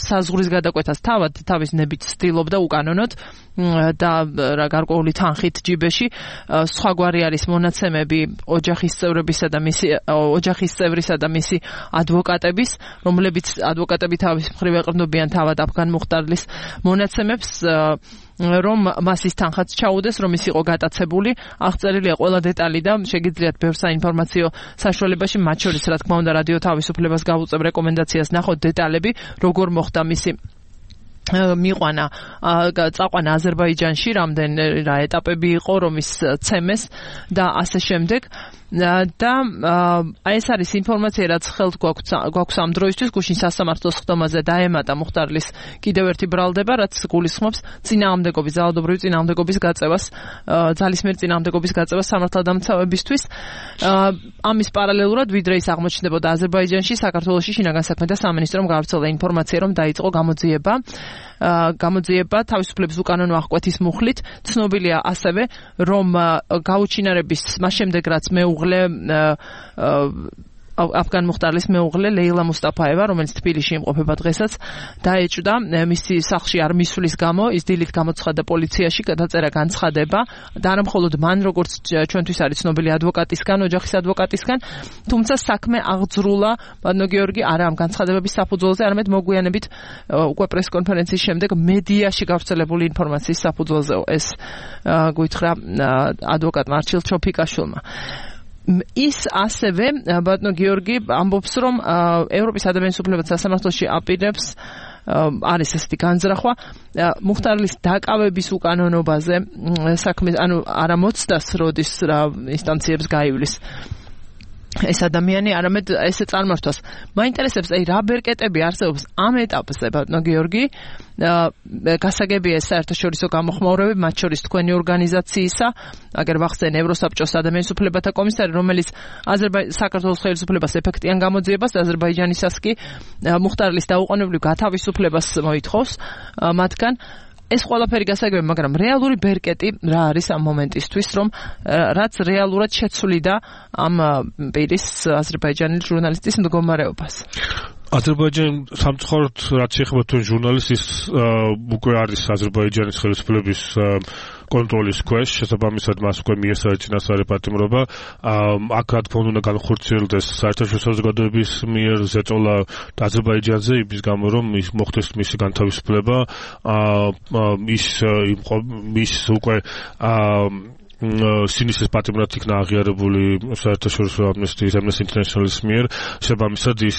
[SPEAKER 3] საზღვრის გადაკვეთას თავად თავის ნებით ცდილობდა უკანონოდ და გარკვეული თანხით ჯიბეში. სხვაგვარი არის მონაცემები ოჯახის წევრებისა და მისი ოჯახის წევრისა და მისი ადვოკატების, რომლებიც ადვოკატები თავის მხრივ ეყრდნობიან თავად აფგან მუხტარლის მონაცემებს. რომ მას ის თანხაც ჩაუდეს, რომ ის იყო გატაცებული. აღწერილია ყველა დეტალი და შეგიძლიათ ბევრ საინფორმაციო საშუალებაში, მათ შორის რა თქმა უნდა რადიო თავისუფლებას გავუწევ რეკომენდაციას ნახოთ დეტალები, როგორ მოხდა მისი მიყვანა წაყვანა აზერბაიჯანში, რამდენი რა ეტაპები იყო, რომ ის ცემეს და ასე შემდეგ. და აი ეს არის ინფორმაცია, რაც ხელთ გვაქვს ამ დროისთვის გუშინ სასამართლოს ხდომაზე დაემატა მუხტარლის კიდევ ერთი ბრალდება, რაც გულისხმობს წინააღმდეგობის, ძალადობრივი წინააღმდეგობის გაწევას, ძალისმიერ წინააღმდეგობის გაწევას სამართალდამცავებისთვის. ამის პარალელურად, ვიდრე ის აღმოჩნდებოდა აზერბაიჯანში, საქართველოში შინაგან საქმეთა სამინისტრომ გავრცელდა ინფორმაცია, რომ დაიწყო გამოძიება გამოძიება თავისუფლების უკანონო აღკვეთის მუხლით. ცნობილია ასევე, რომ გაუჩინარების მას შემდეგ რაც მეუღლე აფგან მუხტარლის მეუღლე ლეილა მუსტაფაევა, რომელიც თბილისში იმყოფება დღესაც, დაეჭვდა მისი სახლში არ მისვლის გამო, ის დილით გამოცხადდა პოლიციაში, გადაწერა განცხადება და არა მხოლოდ მან, როგორც ჩვენთვის არის ცნობილი ადვოკატისგან, ოჯახის ადვოკატისგან, თუმცა საქმე აღძრულა ბატონო გიორგი არა ამ განცხადებების საფუძველზე, არამედ მოგვიანებით უკვე პრესკონფერენციის შემდეგ მედიაში გავრცელებული ინფორმაციის საფუძველზე ეს გვითხრა ადვოკატმა არჩილ ჩოფიკაშვილმა. ის ასევე ბატონო გიორგი ამბობს, რომ ევროპის ადამიანის უფლებათა სასამართლოში აპირებს არის ესეთი განზრახვა მუხტარლის დაკავების უკანონობაზე საქმე, ანუ არა მოცდას როდის რა ინსტანციებს გაივლის ეს ადამიანი, არამედ ესე წარმართვას. მაინტერესებს, აი რა ბერკეტები არსებობს ამ ეტაპზე, ბატონო გიორგი, გასაგებია ეს საერთაშორისო გამოხმაურები, მათ შორის თქვენი ორგანიზაციისა, აგერ ვახსენ ევროსაბჭოს ადამიანის უფლებათა კომისარი, რომელიც საქართველოს ხელისუფლებას ეფექტიან გამოძიებას, აზერბაიჯანისას კი მუხტარლის დაუყოვნებლივ გათავისუფლებას მოითხოვს მათგან. ეს ყველაფერი გასაგებია, მაგრამ რეალური ბერკეტი რა არის ამ მომენტისთვის, რომ რაც რეალურად შეცვლიდა ამ პირის აზერბაიჯანელი ჟურნალისტის მდგომარეობას.
[SPEAKER 5] აზერბაიჯანი სამწუხაროდ რაც შეეხება თქვენ ჟურნალისტის უკვე არის აზერბაიჯანის ხელისუფლების კონტროლის ქვეშ, შესაბამისად მას უკვე მიესწრა წინასწარი პატიმრობა. აქ რა თქმა უნდა განხორციელდეს საერთაშორისო საზოგადოების მიერ ზეწოლა აზერბაიჯანზე, იმის გამო რომ ის მოხდეს მისი განთავისუფლება, ის ის უკვე სინისის პატიმრად იქნა აღიარებული საერთაშორისო ამნესტიის Amnesty International-ის მიერ, შესაბამისად ის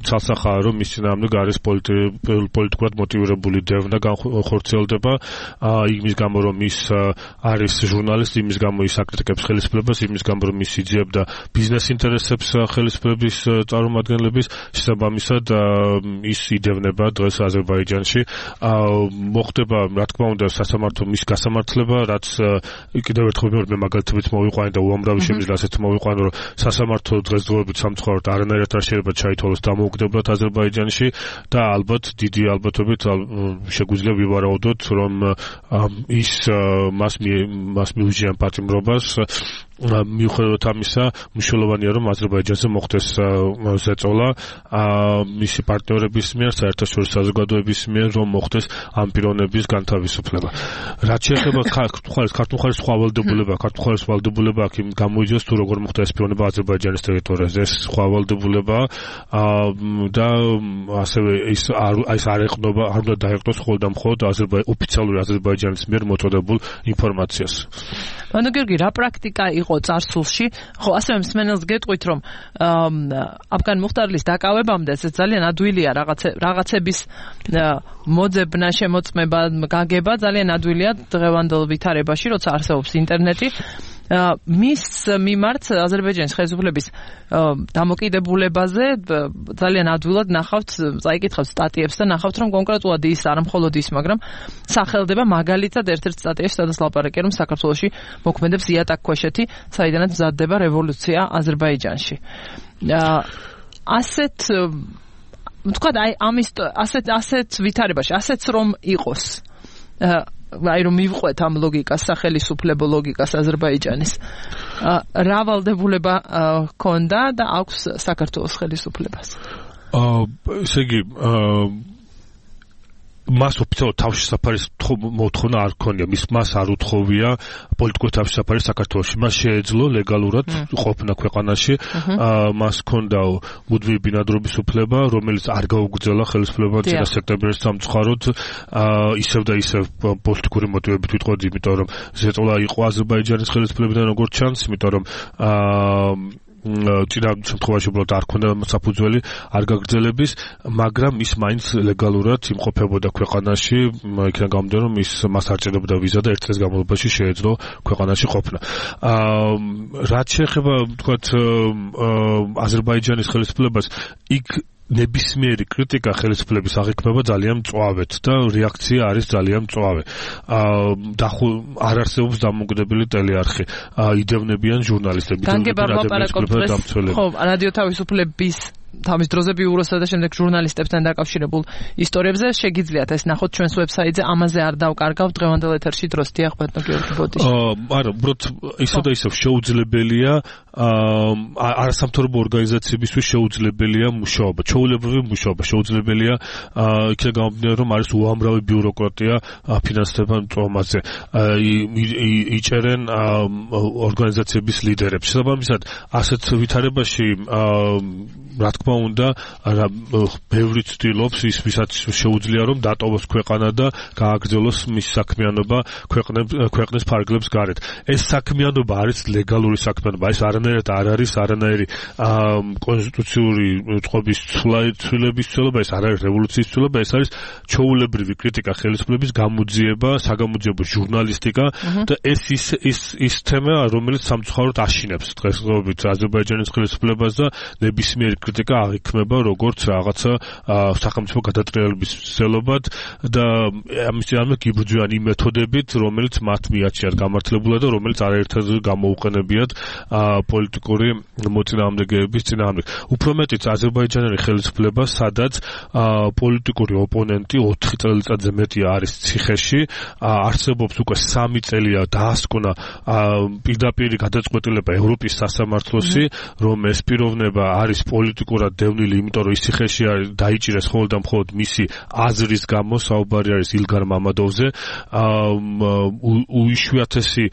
[SPEAKER 5] ცალსახაა, რომ მის წინააღმდეგ არის პოლიტიკურად მოტივირებული დევნა განხორციელდება, იმის გამო რომ ის არის ჟურნალისტი, იმის გამო ის აკრიტიკებს ხელისუფლებას, იმის გამო რომ ის იძიებდა ბიზნეს ინტერესებს ხელისუფლების წარმომადგენლების, შესაბამისად ის იდევნება დღეს აზერბაიჯანში. მოხდება, რა თქმა უნდა, სასამართლო მის გასამართლება, რაც კიდევ მე მაგალითებით მოვიყვანე და უამრავი შემიძლია ასეთ მოვიყვანე, რომ სასამართლო დღესდღეობით სამწუხაროდ არანაირად არ შეიძლება ჩაითვალოს დამოუკიდებლად აზერბაიჯანში და ალბათ დიდი ალბათობით შეგვიძლია ვივარაუდოთ, რომ ის მას მას მიუჯიან პატიმრობას. მიუხედავად ამისა, მნიშვნელოვანია, რომ აზერბაიჯანზე მოხდეს ზეწოლა მისი პარტნიორების მიერ, საერთაშორისო საზოგადოების მიერ, რომ მოხდეს ამ პიროვნების განთავისუფლება. რაც შეეხება ქართულ ხარის სხვა ვალდებულება, ქართულ ხარის ვალდებულება აქ გამოიძიოს თუ როგორ მოხდა ეს პიროვნება აზერბაიჯანის ტერიტორიაზე, ეს სხვა ვალდებულება და ასევე ის ის არ ეყნობა, არ უნდა დაეყნოს მხოლოდ და მხოლოდ ოფიციალური აზერბაიჯანის მიერ მოწოდებულ ინფორმაციას.
[SPEAKER 3] ბატონო გიორგი, რა პრაქტიკა იყო წარსულში? ხო, ასევე მსმენელს გეტყვით, რომ აფგან მუხტარლის დაკავებამდე ეს ძალიან ადვილია რაღაცების მოძებნა, შემოწმება, გაგება ძალიან ადვილია დღევანდელ ვითარებაში, როცა არსებობს ინტერნეტი. მის მიმართ აზერბაიჯანის ხელისუფლების დამოკიდებულებაზე ძალიან ადვილად ნახავთ, წაიკითხავთ სტატიებს და ნახავთ, რომ კონკრეტულად ის არა მხოლოდ ის, მაგრამ სახელდება მაგალითად ერთ-ერთ სტატიაში, სადაც ლაპარაკია, რომ საქართველოში მოქმედებს იატაკქვეშეთი, საიდანაც მზადდება რევოლუცია აზერბაიჯანში. ასეთ თქვა აი ამის ასეთ ასეთ ვითარებაში, ასეც რომ იყოს აი რომ მივყვეთ ამ ლოგიკას, სახელისუფლებო ლოგიკას აზერბაიჯანის. რა ვალდებულება ჰქონდა და აქვს საქართველოს ხელისუფლებას?
[SPEAKER 5] აა ესე იგი მას ოფიციალურად თავშესაფარის მოთხოვნა არ ქონია, მის მას არ უთხოვია პოლიტიკური თავშესაფარი საქართველოში. მას შეეძლო ლეგალურად ყოფნა ქვეყანაში, მას ჰქონდა მუდმივი ბინადრობის უფლება, რომელიც არ გაუგრძელა ხელისუფლებამ წინა სექტემბრის სამწუხაროდ, ისევ და ისევ პოლიტიკური მოტივებით ვიტყოდი, იმიტომ რომ ზეწოლა იყო აზერბაიჯანის ხელისუფლებიდან როგორც ჩანს, იმიტომ რომ წინა შემთხვევაში უბრალოდ არ ქონდა საფუძველი არ გაგრძელების, მაგრამ ის მაინც ლეგალურად იმყოფებოდა ქვეყანაში, იქიდან გამომდინარე, რომ ის მას არ ჭირდებოდა ვიზა და ერთ წლის განმავლობაში შეეძლო ქვეყანაში ყოფნა. რაც შეეხება თქვათ აზერბაიჯანის ხელისუფლებას, იქ ნებისმიერი კრიტიკა ხელისუფლების აღიქმება ძალიან მწვავედ და რეაქცია არის ძალიან მწვავე. არ არსებობს დამოუკიდებელი ტელეარხი, იდევნებიან ჟურნალისტები,
[SPEAKER 3] ხო, რადიო თავისუფლების თავის დროზე ბიუროსა და შემდეგ ჟურნალისტებთან დაკავშირებულ ისტორიებზე შეგიძლიათ ეს ნახოთ ჩვენს ვებსაიტზე, ამაზე არ დავკარგავ დღევანდელ ეთერში დროს. დიახ, ბატონო გიორგი ბოდიში.
[SPEAKER 5] არა, უბრალოდ ისევ და ისევ შეუძლებელია არასამთავრობო ორგანიზაციებისთვის შეუძლებელია მუშაობა, ჩვეულებრივი მუშაობა, შეუძლებელია იქიდან გამომდინარე, რომ არის უამრავი ბიუროკრატია ფინანსდება მწვავმაზე. იჭერენ ორგანიზაციების ლიდერებს. შესაბამისად, ასეთ ვითარებაში რა თქმა უნდა, ბევრი ცდილობს ის, ვისაც შეუძლია რომ დატოვოს ქვეყანა და გააგრძელოს მის საქმიანობა ქვეყნის ფარგლებს გარეთ. ეს საქმიანობა არის ლეგალური საქმიანობა, ეს არანაირად არ არის არანაირი კონსტიტუციური წყობის ცვლილების ცვლილება, ეს არ არის რევოლუციის ცვლილება, ეს არის ჩვეულებრივი კრიტიკა ხელისუფლების, გამოძიება, საგამოძიებო ჟურნალისტიკა და ეს ის ის ის თემა, რომელიც სამწუხაროდ აშინებს დღესდღეობით აზერბაიჯანის ხელისუფლებას და ნებისმიერი კრიტიკა აღიქმება როგორც რაღაცა სახელმწიფო გადატრიალების ცდილობად და ამის წინააღმდეგ იბრძვიან იმ მეთოდებით, რომელიც მათ მიაჩნიათ გამართლებულად და რომელიც არაერთად გამოუყენებიათ პოლიტიკური მოწინააღმდეგეების წინააღმდეგ. უფრო მეტიც აზერბაიჯანელი ხელისუფლება, სადაც პოლიტიკური ოპონენტი ოთხი წელიწადზე მეტია არის ციხეში, არსებობს უკვე სამი წელია დაასკვნა პირდაპირ გადაწყვეტილება ევროპის სასამართლოსი, რომ ეს პიროვნება არის პოლიტიკურად დევნილი, იმიტომ რომ ის ციხეში არის დაიჭირეს მხოლოდ და მხოლოდ მისი აზრის გამო, საუბარი არის ილგარ მამადოვზე. უიშვიათესი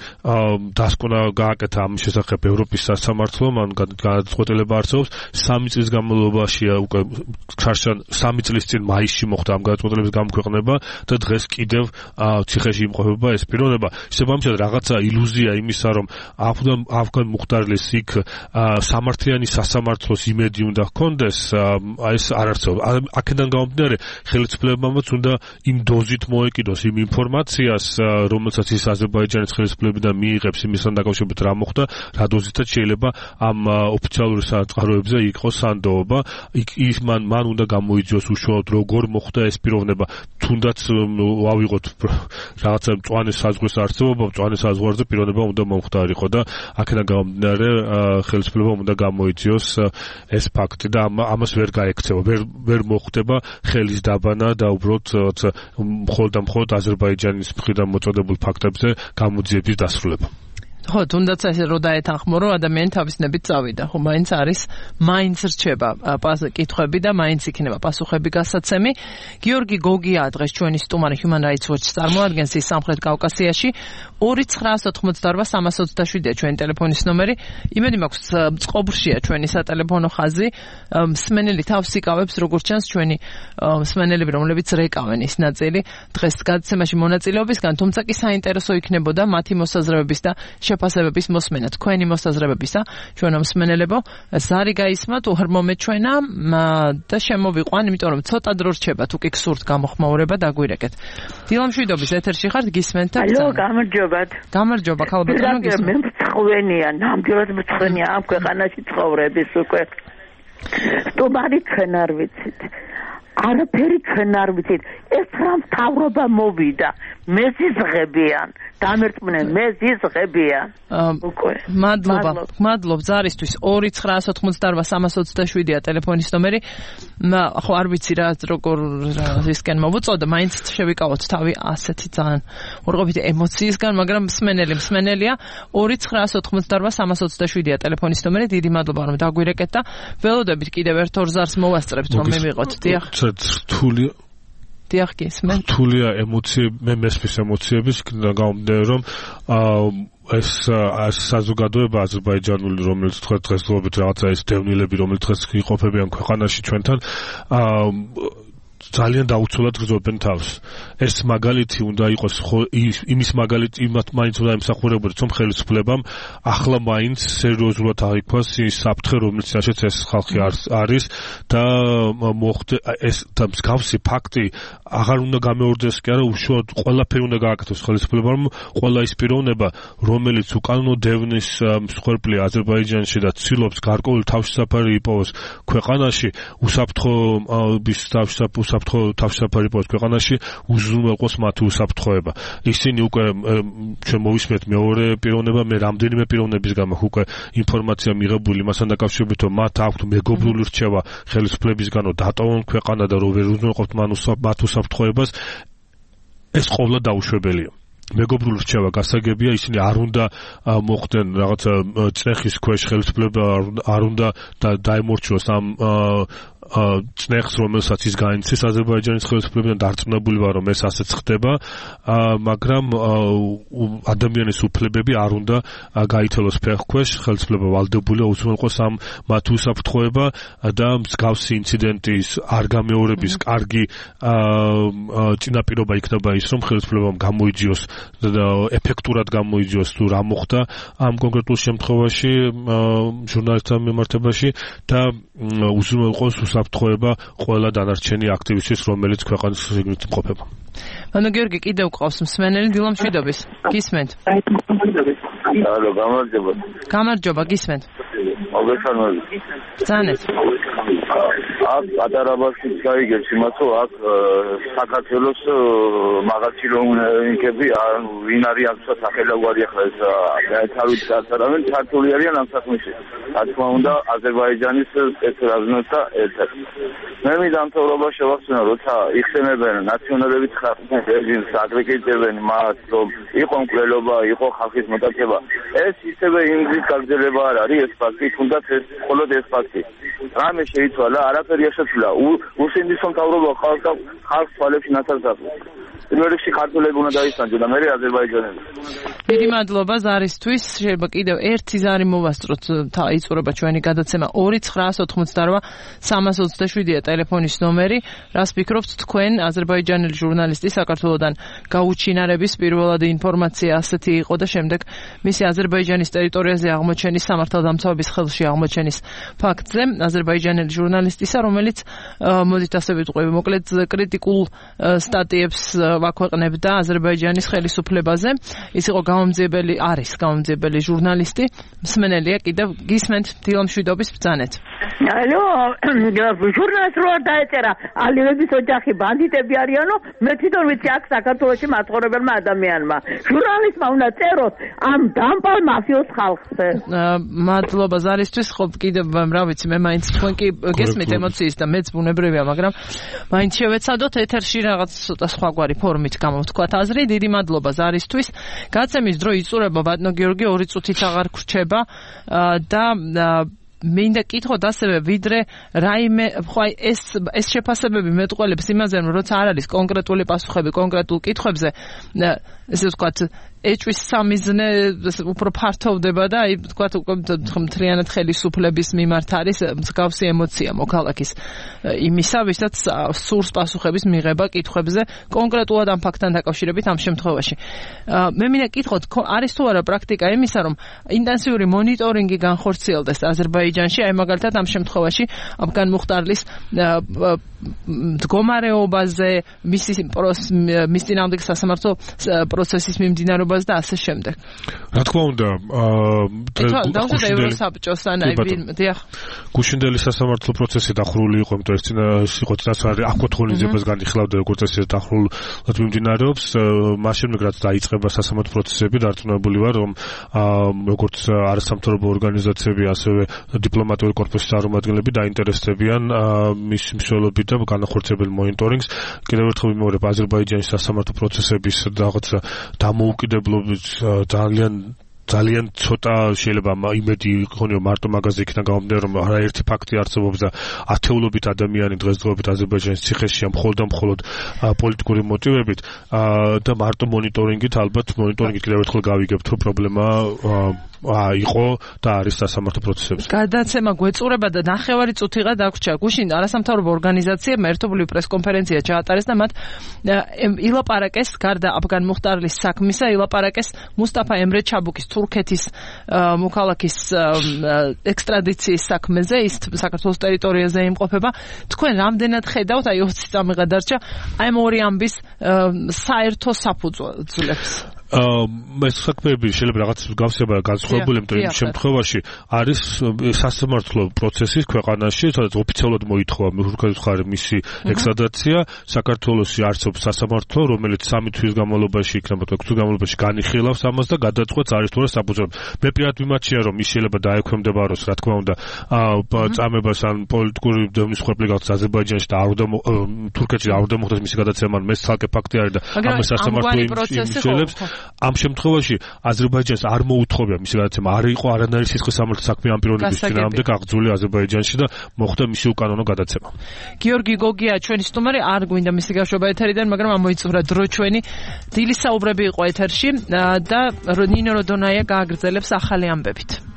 [SPEAKER 5] დასკვნა გააკეთა ამ შესახებ ევროპის სასამართლო, მან გადაწყვეტილება არსებობს, სამი წლის განმავლობაშია უკვე ხარშან სამი წლის წინ მაისში მოხდა ამ გადაწყვეტილების გამოქვეყნება და დღეს კიდევ ციხეში იმყოფება ეს პიროვნება. შესაბამისად, რაღაცა ილუზია იმისა, რომ ავგან მუხტარლის იქ სამართლიანი სასამართლოს იმედი უნდა ჰქონდეს, ეს არ არსებობს. აქედან გამომდინარე, ხელისუფლებამაც უნდა იმ დოზით მოეკიდოს იმ ინფორმაციას, რომელსაც ის აზერბაიჯანის ხელისუფლებიდან მიიღებს იმისთან დაკავშირებით რა მოხდა, რა დოზითაც შეიძლება ამ ოფიციალური საწყაროებზე იყოს სანდოობა. ის მან მან უნდა გამოიძიოს უშუალოდ როგორ მოხდა ეს პიროვნება. თუნდაც ავიღოთ რაღაცა მწვანე საზღვრის არსებობა, მწვანე საზღვარზე პიროვნება უნდა მომხდარიყო და აქედან გამომდინარე ხელისუფლებამ უნდა გამოიძიოს ეს ფაქტი და ამას ვერ გაექცევა, ვერ ვერ მოხდება ხელის დაბანა და უბრალოდ მხოლოდ და მხოლოდ აზერბაიჯანის მხრიდან მოწოდებულ ფაქტებზე გამოძიების დასრულება.
[SPEAKER 3] ხო, თუნდაც ესე რო დაეთანხმო, რომ ადამიანი თავისნებით წავიდა, ხო, მაინც არის, მაინც რჩება კითხვები და მაინც იქნება პასუხები გასაცემი. გიორგი გოგია დღეს ჩვენი სტუმარი Human Rights Watch წარმოადგენს ის სამხრეთ კავკასიაში. ორი ცხრაასი ოცდაოთხმოცდაარბა სამასი ოცდაშვიდია ჩვენი ტელეფონის ნომერი. იმედი მაქვს წყობრშია ჩვენი სატელეფონო ხაზი. მსმენელი თავს იკავებს, როგორც ჩანს ჩვენი მსმენელები, რომლებიც რეკავენ ის ნაწილი დღეს გადაცემაში მონაწილეობისგან, თუმცა კი საინტერესო იქნებოდა მათი მოსაზრებების და შეფასებების მოსმენა. თქვენი მოსაზრებებისა, ჩვენო მსმენელებო, ზარი გაისმათ, უღრმომეთ ჩვენა და შემოვიყვან, იმიტომ რომ ცოტა დრო რჩება, თუ კი გსურთ გამოხმაურება დაგვირეკეთ. დილამშვიდობის ეთერში ხართ, გისმენთ და
[SPEAKER 13] ალო, გამარჯობათ.
[SPEAKER 3] გამარჯობა, ქალბატონო, გისმენთ.
[SPEAKER 13] მე მწხვენია, ნამდვილად მწხვენია ამ ქვეყანაში ცხოვრების უკვე. სტუმარი ჩვენ არ ვიცით. არაფერი ჩვენ არ ვიცით. ეს რა მთავრობა მოვიდა, მეზიზღებიან, დამერწმუნენ, მეზიზღებიან. უკვე.
[SPEAKER 3] მადლობა. მადლობ ზარისთვის. ორი ცხრაასი ოცდაოთხმოცდაარბა სამასი ოცდაშვიდია ტელეფონის ნომერი. ხო, არ ვიცი რა როგორ ისკენ მოვუწოდა, მაინც შევიკავოთ თავი ასეთი ძალიან ორყოფითი ემოციისგან, მაგრამ მსმენელი მსმენელია. ორი ცხრაასი ოცდაოთხმოცდაარბა სამასი ოცდაშვიდია ტელეფონის ნომერი. დიდი მადლობა რომ დაგვირეკეთ და ველოდებით კიდევ ერთ ორ ზარს მოვასწრებთ რომ მივიღოთ. დიახ.
[SPEAKER 5] რთული
[SPEAKER 3] დიახ, გისმენ.
[SPEAKER 5] რთულია ემოციები, მე მესმის ემოციების გამომდინარე რომ ეს საზოგადოება აზერბაიჯანული, რომელიც თქვა დღესდღეობით რაღაცა ეს დევნილები, რომელიც დღეს იყოფებიან ქვეყანაში ჩვენთან, ძალიან დაუცველად გრძობენ თავს. ეს მაგალითი უნდა იყოს იმის მაგალითი იმათ მაინც უნდა ემსახურებოდეს რომ ხელისუფლებამ ახლა მაინც სერიოზულად აღიქვას ის საფრთხე რომელიცაშეც ეს ხალხი არის და მოხდე ეს და მსგავსი ფაქტი აღარ უნდა გამეორდეს კი არა უშუალოდ ყველაფერი უნდა გააკეთოს ხელისუფლებამ ყველა ის პიროვნება რომელიც უკანონო დევნის მსხვერპლია აზერბაიჯანში და ცდილობს გარკვეული თავშესაფარი იპოვოს ქვეყანაში უსაფრთხოების თავშესაფარი საფრთხო თავშესაფარი იპოვოს ქვეყანაში უზრუნველყოს მათი უსაფრთხოება. ისინი უკვე ჩვენ მოვისმენთ მეორე პიროვნება, მე რამდენიმე პიროვნების გამო უკვე ინფორმაცია მიღებული იმასთან დაკავშირებით, რომ მათ აქვთ მეგობრული რჩევა ხელისუფლებისგან, რომ დატოვონ ქვეყანა და რომ ვერ უზრუნველყოფთ მათ უსაფრთხოებას. ეს ყოვლა დაუშვებელია. მეგობრული რჩევა გასაგებია, ისინი არ უნდა მოხდნენ რაღაცა წნეხის ქვეშ ხელისუფლება არ უნდა დაემორჩილოს ამ წნეხს, რომელსაც ის გაინცეს აზერბაიჯანის ხელისუფლებიდან დარწმუნებული ვარ, რომ ეს ასეც ხდება, მაგრამ ადამიანის უფლებები არ უნდა გაითელოს ფეხქვეშ, ხელისუფლება ვალდებულია უზრუნველყოს ამ მათი უსაფრთხოება და მსგავსი ინციდენტის არ გამეორების კარგი წინაპირობა იქნება ის, რომ ხელისუფლებამ გამოიძიოს და ეფექტურად გამოიძიოს თუ რა მოხდა ამ კონკრეტულ შემთხვევაში ჟურნალისტთა მიმართებაში და უზრუნველყოს უსაფრთხოება ყველა დანარჩენი აქტივისტის, რომელიც ქვეყანის შიგნით იმყოფება.
[SPEAKER 3] ანუ გიორგი კიდევ ყავს მსმენელი დილამ შვიდობის. გისმენთ?
[SPEAKER 14] ალო, გამარჯობა.
[SPEAKER 3] გამარჯობა, გისმენთ?
[SPEAKER 14] მოგესალმებით.
[SPEAKER 3] ბრძანეთ.
[SPEAKER 14] აქ პატარაბაში გაიგებს იმას, რომ აქ საქართველოს მაღალჩი რომნიკები ვინ არის აქ სახელოვანი ახლა ეს თავით გაწარავენ ქართული არიან ამ საქმეში. რა თქმა უნდა აზერბაიჯანის სპეცრაზნოს და ერთად. მე მიდამთავრობა შევახსენო, როცა იხსენებენ ნაციონალების რეჟიმს, აკრიტიკებენ მას, რომ იყო მკვლელობა, იყო ხალხის მოტაცება. ეს ისევე ინგლისის გაგრძელება არ არის ეს ფაქტი, თუნდაც ეს მხოლოდ ეს ფაქტი. რამე შეიცვალა, არაფერი შეცვლა. უსინდის მთავრობა ხალხს ხალხს თვალებში ნაცარს აკეთებს. პირველ რიგში ქართველები უნდა დაისანჯონ და მერე აზერბაიჯანელი.
[SPEAKER 3] დიდი მადლობა ზარისთვის. შეიძლება კიდევ ერთი ზარი მოვასწროთ, იწურება ჩვენი გადაცემა ორი ცხრაას ოთხმოცდარვა სამას ოცდაშვიდია ტელეფონის ნომერი. რას ფიქრობთ თქვენ აზერბაიჯანელი ჟურნალისტი საქართველოდან გაუჩინარების პირველად ინფორმაცია ასეთი იყო და შემდეგ მისი აზერბაიჯანის ტერიტორიაზე აღმოჩენის სამართალდამცავების ხელში აღმოჩენის ფაქტზე აზერბაიჯანელი ჟურნალისტისა, რომელიც მოდით ასე ვიტყვი, მოკლედ კრიტიკულ სტატიებს ვაქვეყნებდა აზერბაიჯანის ხელისუფლებაზე. ის იყო გამომძიებელი, არის გამომძიებელი ჟურნალისტი. მსმენელია კიდევ გისმენთ დილამ შვიდობის ბრძანეთ.
[SPEAKER 13] ალო, ჟურნალისტ რო არ დაეწერა, ალიების ოჯახი ბანდიტები არიანო, მე თვითონ ვიცი აქ საქართველოში მაცხოვრებელმა ადამიანმა. ჟურნალისტმა უნდა წეროს ამ დამპალ მაფიოს ხალხზე.
[SPEAKER 3] მადლობა ზარისთვის, ხო კიდევ რა ვიცი, მე მაინც თქვენ კი გესმით ემოციის და მეც ბუნებრივია, მაგრამ მაინც შევეცადოთ ეთერში რაღაც ცოტა სხვაგვარი ფორმით გამოვთქვათ აზრი. დიდი მადლობა ზარისთვის. გაცემის დრო იწურება ბატონო გიორგი, ორი წუთით აღარ გრჩება და მინდა კითხოთ ასევე ვიდრე რაიმე ხო ეს ეს შეფასებები მეტყველებს იმაზე რომ როცა არ არის კონკრეტული პასუხები კონკრეტულ კითხვებზე ესე ვთქვათ ეჭვის სამიზნე უფრო ფართოვდება და აი ვთქვათ მთლიანად ხელისუფლების მიმართ არის მსგავსი ემოცია მოქალაქის იმისა ვისაც სურს პასუხების მიღება კითხვებზე კონკრეტულად ამ ფაქტთან დაკავშირებით ამ შემთხვევაში მე მინდა კითხოთ არის თუ არა პრაქტიკა იმისა რომ ინტენსიური მონიტორინგი განხორციელდეს აზერბაიჯანში აი მაგალითად ამ შემთხვევაში აფგან მუხტარლის მდგომარეობაზე მისი მის წინააღმდეგ სასამართლო პროცესის მიმდინარეობაზე და ასე შემდეგ.
[SPEAKER 5] რა თქმა უნდა,
[SPEAKER 3] დავუშვათ ევროსაბჭოს ან აი დიახ.
[SPEAKER 5] გუშინდელი სასამართლო პროცესი დახურული იყო, იმიტომ ეს წინა იყო წინასწარი აკუთხოვნიზებას განიხილავდა როგორც ეს დახურულად მიმდინარეობს. მაშინ რაც დაიწყება სასამართლო პროცესები, დარწმუნებული ვარ, რომ როგორც არასამთავრობო ორგანიზაციები, ასევე დიპლომატიური კორპუსის წარმომადგენლები დაინტერესდებიან მის მსვლელობით და განახორციელებელ მონიტორინგს. კიდევ ერთხელ ვიმეორებ, აზერბაიჯანის სასამართლო პროცესების რაღაც დამოუკიდებლობის ძალიან ძალიან ცოტა შეიძლება იმედი იქონიო მარტო მაგაზე იქნა გამომდინარე რომ არაერთი ფაქტი არსებობს და ათეულობით ადამიანი დღესდღეობით აზერბაიჯანის ციხეშია მხოლოდ და მხოლოდ პოლიტიკური მოტივებით და მარტო მონიტორინგით ალბათ მონიტორინგით კიდევ ერთხელ გავიგებთ რომ პრობლემა აა იყო და არის სასამართლო პროცესებში.
[SPEAKER 3] გადაცემა გვეწურება და ნახევარი წუთიღა დაგვრჩა. გუშინ არასამთავრობო ორგანიზაციებმა ერთობლივი პრესკონფერენცია ჩაატარეს და მათ ილაპარაკეს გარდა აფგან მუხტარლის საქმისა, ილაპარაკეს მუსტაფა ემრე ჩაბუკის თურქეთის მოქალაქის ექსტრადიციის საქმეზე, ის საქართველოს ტერიტორიაზე იმყოფება. თქვენ რამდენად ხედავთ, აი ოცი წამი გადარჩა, აი ამ ორი ამბის საერთო საფუძვლებს?
[SPEAKER 5] ეს საქმეები შეიძლება რაღაც გავსება განსხვავებული, იმიტომ იმ შემთხვევაში არის სასამართლო პროცესის ქვეყანაში, სადაც ოფიციალურად მოითხოვა თურქეთის მხარე მისი ექსტრადიცია, საქართველოში არსებობს სასამართლო, რომელიც სამი თვის განმავლობაში იქნება თუ ექვსი თვის განმავლობაში განიხილავს ამას და გადაწყვეტს არის თუ არა საფუძვლად. მე პირადად მიმაჩნია რომ ის შეიძლება დაექვემდებაროს, რა თქმა უნდა, წამებას ან პოლიტიკური დევნის ხვეპლი გახდეს აზერბაიჯანში და არ უნდა თურქეთში არ უნდა მოხდეს მისი გადაცემა, მე ცალკე ფაქტი არის და ამას სასამართლო იმსჯელებს. ამ შემთხვევაში აზერბაიჯანს არ მოუთხოვია მისი გადაცემა, არ იყო არანაირი სისხლის სამართლის საქმე ამ პიროვნების წინააღმდეგ აღძული აზერბაიჯანში და მოხდა მისი უკანონო გადაცემა.
[SPEAKER 3] გიორგი გოგია ჩვენი სტუმარი, არ გვინდა მისი გაშვება ეთერიდან, მაგრამ ამოიწურა დრო ჩვენი. დილის საუბრები იყო ეთერში და ნინო როდონაია გააგრძელებს ახალი ამბებით.